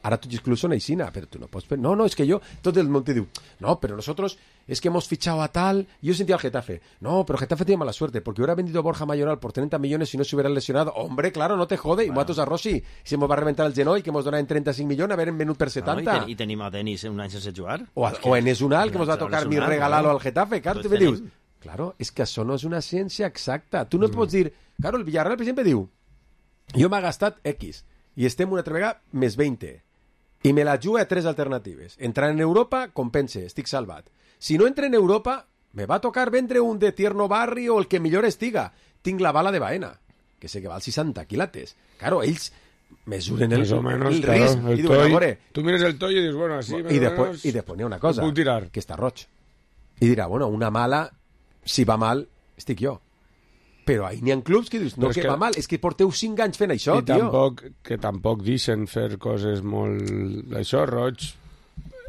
ahora tú incluso una isina, pero tú no puedes... No, no, es que yo... Todo el monte digo, no, pero nosotros es que hemos fichado a tal... Yo sentía al Getafe. No, pero Getafe tiene mala suerte, porque hubiera vendido a Borja Mayoral por treinta millones si no se hubiera lesionado. Hombre, claro, no te jode. Bueno. Y muatos a Rossi. Si hemos va a reventar el genoll, que hemos donado en treinta-cinc millones, a ver en venut per setanta. No, i, ten, I tenim a Denis un any sense jugar. O, a, o en Esunal, que nos va a tocar mi regalalo al Getafe. Claro, tú me dius... Claro, es que això no és una ciència exacta. Tu no mm. pots dir... Claro, el Villarreal, per exemple, diu... Jo m'ha gastat X... i estem una altra vegada més vint. I me la juga a tres alternatives. Entrar en Europa, compense, estic salvat. Si no entre en Europa, me va tocar vendre un de Tierno Barri o el que millor estiga. Tinc la bala de Baena, que sé que val seixanta quilates. Claro, ells mesuren el, menos, el claro, risc. El I diuen, amore... Tu mires el toll i dius, bueno, así... I després i després n'hi ha una cosa, que està roig. I dirà, bueno, una mala, si va mal, estic jo. Però ahí n'hi ha clubs que dius, no, que, que va mal, és que porteu cinc anys fent això, i tio. Tampoc, que tampoc deixen fer coses molt... Això, Roig,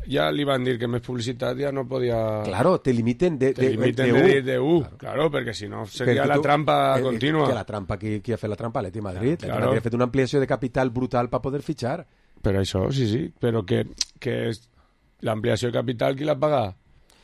ja li van dir que més publicitat ja no podia... Claro, te limiten de, te de, limiten de, de, de, de U, claro, claro perquè si no seria perquè la tu, trampa eh, contínua. Que la trampa, qui, qui ha fet la trampa? L'Atlètic Madrid. Claro. L'Atlètic ha fet una ampliació de capital brutal per poder fitxar. Però això, sí, sí, però que, que l'ampliació de capital qui l'ha pagat?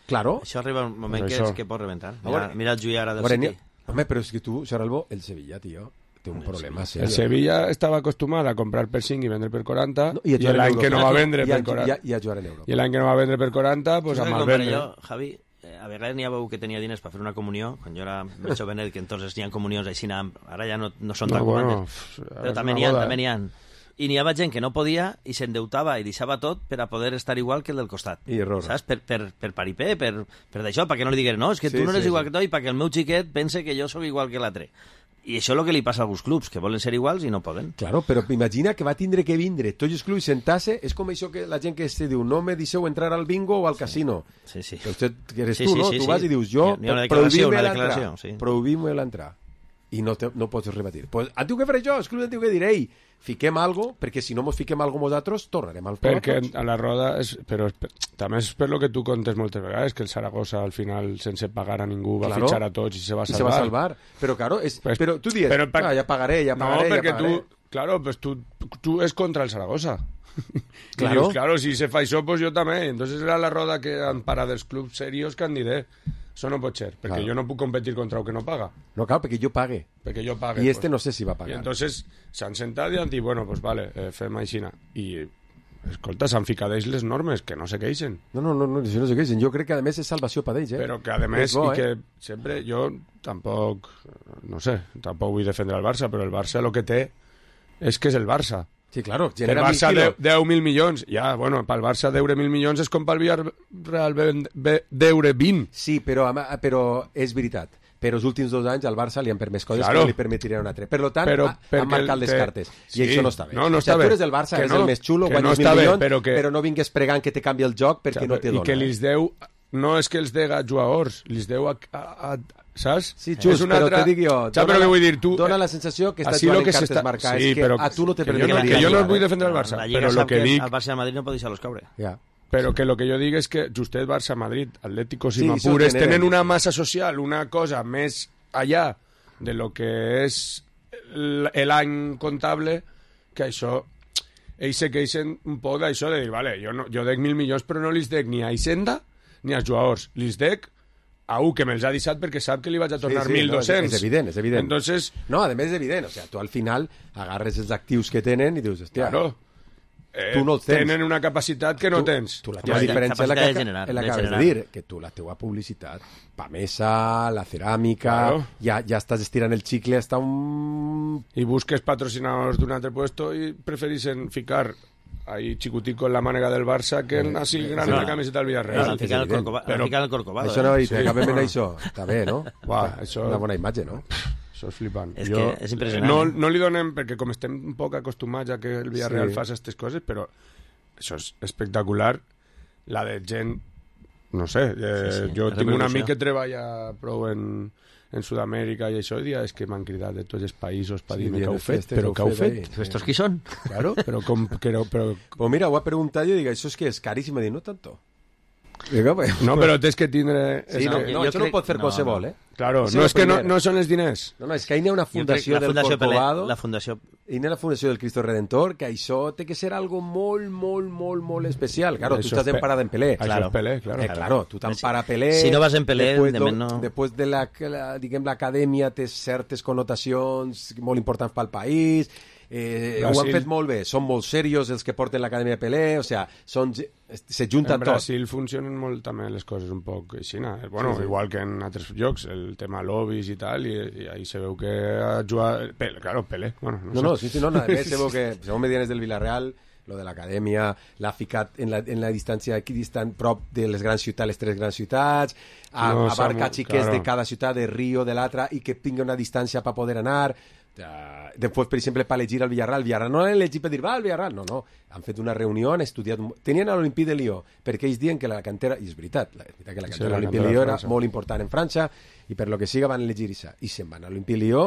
Claro. Això arriba un moment que, és que pot reventar. Mira, mira el Juiara del City. Home, però és que tu, Xaralbo, el Sevilla, tio, té un problema serio. El Sevilla estava acostumat a comprar per cinc i vendre per quaranta, no, i, i l'any que no va vendre per quaranta. I a jugar en Europa. I l'any que no va vendre per quaranta, pues a mal vendre. Jo, Javi, a vegades n'hi ha que tenia diners per fer una comunió, quan jo era més jovenet, que entonces n'hi ha comunions així, ara ja no, no són tan no, bueno, comandes. Però també n'hi ha, també n'hi ha. I n'hi havia gent que no podia i s'endeutava i deixava tot per a poder estar igual que el del costat. I error. Saps? Per, per, per paripé, per, per d'això, perquè no li diguin, no, és que sí, tu no eres sí, igual sí. que tu i perquè el meu xiquet pense que jo sóc igual que l'altre. I això és el que li passa a alguns clubs, que volen ser iguals i no poden. Claro, però imagina que va tindre que vindre tots els clubs sentar-se, és com això que la gent que se diu, no me deixeu entrar al bingo o al sí. casino. Sí, sí. Que usted, que eres sí, tu, sí, no? Sí, tu sí. vas i dius, jo prohibim-me l'entrar. Sí. Prohibim-me l'entrar. I no, te, no pots rebatir. Pues, han tingut que fer això, els clubs han tingut que dir, ei, fiquem algo, perquè si no mos fiquem algo nosaltres, tornarem al fora. Perquè a la roda, és, però és, també és per lo que tu contes moltes vegades, que el Saragossa al final, sense pagar a ningú, va claro, fitxar a tots i se va salvar. I se va salvar. Però, claro, és, pues, però tu dius, però, per... ah, ja pagaré, ja pagaré, no, perquè ja pagaré. Tu, claro, pues tu, tu és contra el Saragossa. Claro. Dius, claro, si se fa això, pues jo també. Entonces era la roda que han parat dels clubs serios que han dit, eh, això no pot ser, perquè claro. jo no puc competir contra el que no paga. No, clar, perquè jo pague. Perquè jo pague. I este pues. no sé si va pagar. I entonces s'han sentat i han dit, bueno, pues vale, eh, fem aixina. I, escolta, s'han ficat ells les normes, que no se queixen. No, no, no, no, no se queixen. Jo crec que a més és salvació per ells, eh? Però que a més, bo, i que eh? sempre, jo tampoc, no sé, tampoc vull defendre el Barça, però el Barça el que té és que és el Barça. Sí, claro. El Barça deu mil milions. Ja, bueno, pel Barça deure mil milions és com pel Villarreal deure vint. Sí, però, però és veritat. Però els últims dos anys al Barça li han permès coses claro. que no li permetirien un altre. Per tant, però, han marcat les cartes. I sí. això no està bé. No, no està o sigui, bé. tu eres del Barça, que és no, el més xulo, guanyes no mil milions, bé, però, que... però no vingues pregant que te canvi el joc perquè o sigui, no te dona. I que els deu... No és que els dega jugadors, els deu a... a, a saps? Sí, just, una però altra... te dic jo, dona, la, vull dir, tu, dona la sensació que estàs jugant en cartes està... marcades, sí, que a tu no te permet. Que, que jo no vull defendre el Barça, però el que dic... El Barça i el Madrid no pot deixar-los caure. Ja. Però que el que jo dic és que justet Barça, Madrid, Atlético i Mapures tenen una massa social, una cosa més allà de lo que és l'any comptable, que això... Ells se queixen un poc d'això, de dir, vale, jo, no, jo dec mil milions, però no li dec ni a Hisenda ni als jugadors. Li dec a un que me'ls ha deixat perquè sap que li vaig a tornar sí, sí, mil dos-cents. No, és evident, és evident. Entonces... No, a més és evident. O sea, tu al final agarres els actius que tenen i dius, hòstia... Claro. eh, tu no els tens. Tenen una capacitat que no tu, tens. Tu la teva ja, diferència és la que, de generar, la de que acabes generar. de dir, que tu la teva publicitat, Pamesa, la ceràmica, Claro. ja, ja estàs estirant el xicle hasta un... Y busques patrocinadors d'un altre puesto y preferixen ficar ahí chicutico en la mànega del Barça que en así gran en la camiseta del Villarreal. Han ficat el Corcovado. Però- Han ficat el Corcovado. Això no, eh? i t'acabem en això. Està bé, no? Uah, Està- això- Una bona imatge, no? Això és flipant. És que és impressionant, No, eh? no li donem, perquè com estem un poc acostumats a que el Villarreal Sí. sí. faci aquestes coses, però això és espectacular. La de gent, no sé, eh, Sí, sí, jo la tinc un repercussió. amic que treballa prou en, en Sud-amèrica i això, i dia és que m'han cridat de tots els països per Sí, dir-me dient què heu les fet, festes però heu què heu fet fet? ahí. ¿Estos qui són? Claro, però com... Però, però, Pues mira, ho ha preguntat jo i dic, això és que és caríssim. Dic, no tanto. Digo, pues, no, però tens que tindre... Sí, és no, que- no, jo això no crec- pot fer no, qualsevol, no. eh? Claro, Això no és és que no, primer. no són els diners. No, no, és que hi ha una Jo crec fundació la del Fundació Pelé, Corcovado, la Fundació... hi ha la fundació del Cristo Redentor, que això té que ser algo molt, molt, molt, molt especial. Claro, Això tu estàs és Pe- emparada en Pelé. Això Claro. és Pelé, claro. Eh, claro, tu t'empara a Pelé... Si no vas en Pelé, després, de do- men no. Després de la, la, diguem, l'acadèmia té certes connotacions molt importants pel país, eh, ho han Brasil. fet molt bé, són molt serios els que porten l'acadèmia de Pelé, o sea, són, se junten En tot. Brasil funcionen molt també les coses un poc així, no? Bueno, Sí, sí. igual que en altres llocs, el tema lobbies i tal, i, i ahí se veu que ha jugat... Pelé, claro, Pelé, bueno, no, No, sé. no, sí, sí, no, nada més, se veu que, segons me diuen des del Villarreal, lo de l'acadèmia l'ha ficat en la, en la distància aquí distant prop de les grans ciutats, les tres grans ciutats, a, No, abarca Samu, xiquets claro. de cada ciutat, de Rio, de l'altra, i que tinga una distància per poder anar. Uh, després, per exemple, per elegir el Villarreal, el Villarreal no l'han elegit per dir, va, el Villarreal, no, no, han fet una reunió, han estudiat, tenien a l'Olimpí de Lió, perquè ells diuen que la cantera, i és veritat, la, és veritat que la Sí, cantera la de l'Olimpí de cantera Lió de era França. molt important en França, i per lo que siga van elegir això, i se'n van a l'Olimpí de Lió,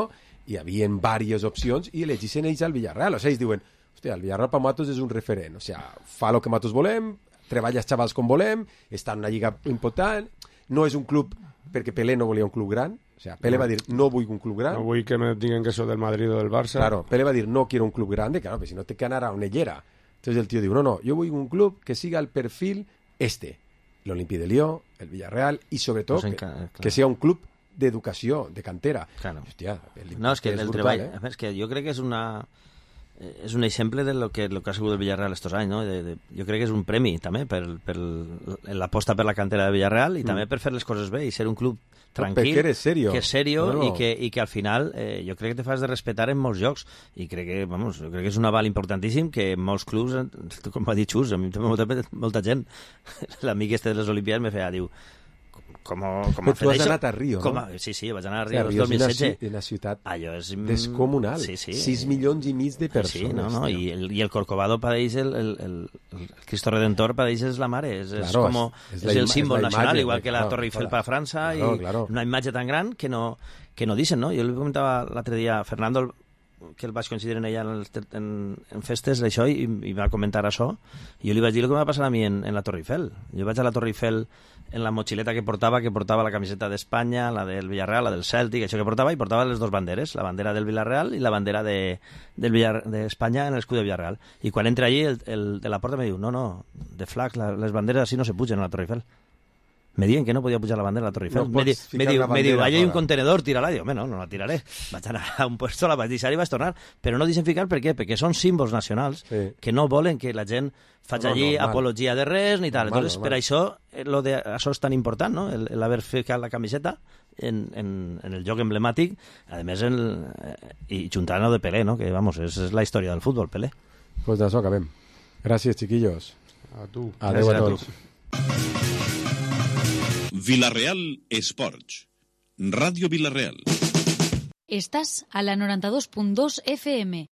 i hi havia diverses opcions, i elegissin ells al Villarreal, o sigui, ells diuen, hòstia, el Villarreal per nosaltres és un referent, o sigui, fa el que nosaltres volem, treballa els xavals com volem, està en una lliga important, no és un club, perquè Pelé no volia un club gran, o sea, Pelé No. va dir, no vull un club gran. No vull que me diguen que soy del Madrid o del Barça. Claro, Pelé va dir, no quiero un club grande, claro, pero si no te que anar a una hielera. Entonces el tío dijo, no, no, yo voy a un club que siga el perfil este, el Olympique de Lyon, el Villarreal, y sobre todo Pues que, enca- claro. que sea un club d'educació, de cantera. Claro. Hòstia, el No, és que és el brutal, treball... eh? És que jo crec que és una... eh, És un exemple de lo que, lo que ha sigut el Villarreal estos anys, no? De, de, jo crec que és un premi també per, per l'aposta per la cantera de Villarreal i Mm. també per fer les coses bé i ser un club tranquil, perquè eres serio. que és serio No, no. i, que, i que al final eh, jo crec que te fas de respetar en molts jocs i crec que, vamos, jo crec que és un aval importantíssim que en molts clubs, eh, com va dir Xus, a mi també molta, molta gent, l'amic este de les Olimpiades me feia, diu, com, com Però ha fet tu has això? anat a Rio, Com no? ha- Sí, sí, vaig anar a O Rio sea, el Rio dos mil és una, setze. ci- una ciutat Allò és... descomunal. Sí, sí. sis milions i mig de persones. Sí, no, no, tio. y el, y el Corcovado para ells, el, el, el, el Cristo Redentor para ells és la mare, és, és Claro, como és- és és, la el ima- símbol és la nacional, imatge, igual que la claro, Torre Eiffel claro. para França, Claro, y claro. una imatge tan gran que no, que no dicen, no? Jo li comentava l'altre dia a Fernando, que el vaig coincidir en ella en, el, en, en festes d'això, i, i va comentar això, i jo li vaig dir el que m'ha passat a mi en, en la Torre Eiffel. Jo vaig a la Torre Eiffel en la mochileta que portava, que portava la camiseta d'Espanya, la del Villarreal, la del Celtic, això que portava, i portava les dues banderes, la bandera del Villarreal i la bandera de, del Villar, d'Espanya en l'escut de Villarreal. I quan entra allí, el, el de la porta me diu, no, no, de flags, la, les banderes així no se pugen a la Torre Eiffel. Me diuen que no podia pujar la bandera a la Torre Eiffel. No me, di, pots me ficar diu, una me diu, bandera allà hi ha un fora. contenedor, tira-la. Diu, home, no, no la tiraré. Vaig anar a un puesto, la vaig deixar i vaig tornar. Però no deixen ficar, per què? Perquè són símbols nacionals Sí. que no volen que la gent faci No, allí normal. apologia de res ni tal. Normal, Entonces, normal. per això, eh, lo de, això és tan important, no? El, el haver ficat la camiseta en, en, en el joc emblemàtic, a més, el, eh, i juntant-ho de Pelé, no? Que, vamos, és, és la història del futbol, Pelé. Pues d'això acabem. Gràcies, chiquillos. A tu. Adéu a Gràcies a tots. Villarreal Esports. Radio Villarreal. Estás a la noranta dos punt dos F M.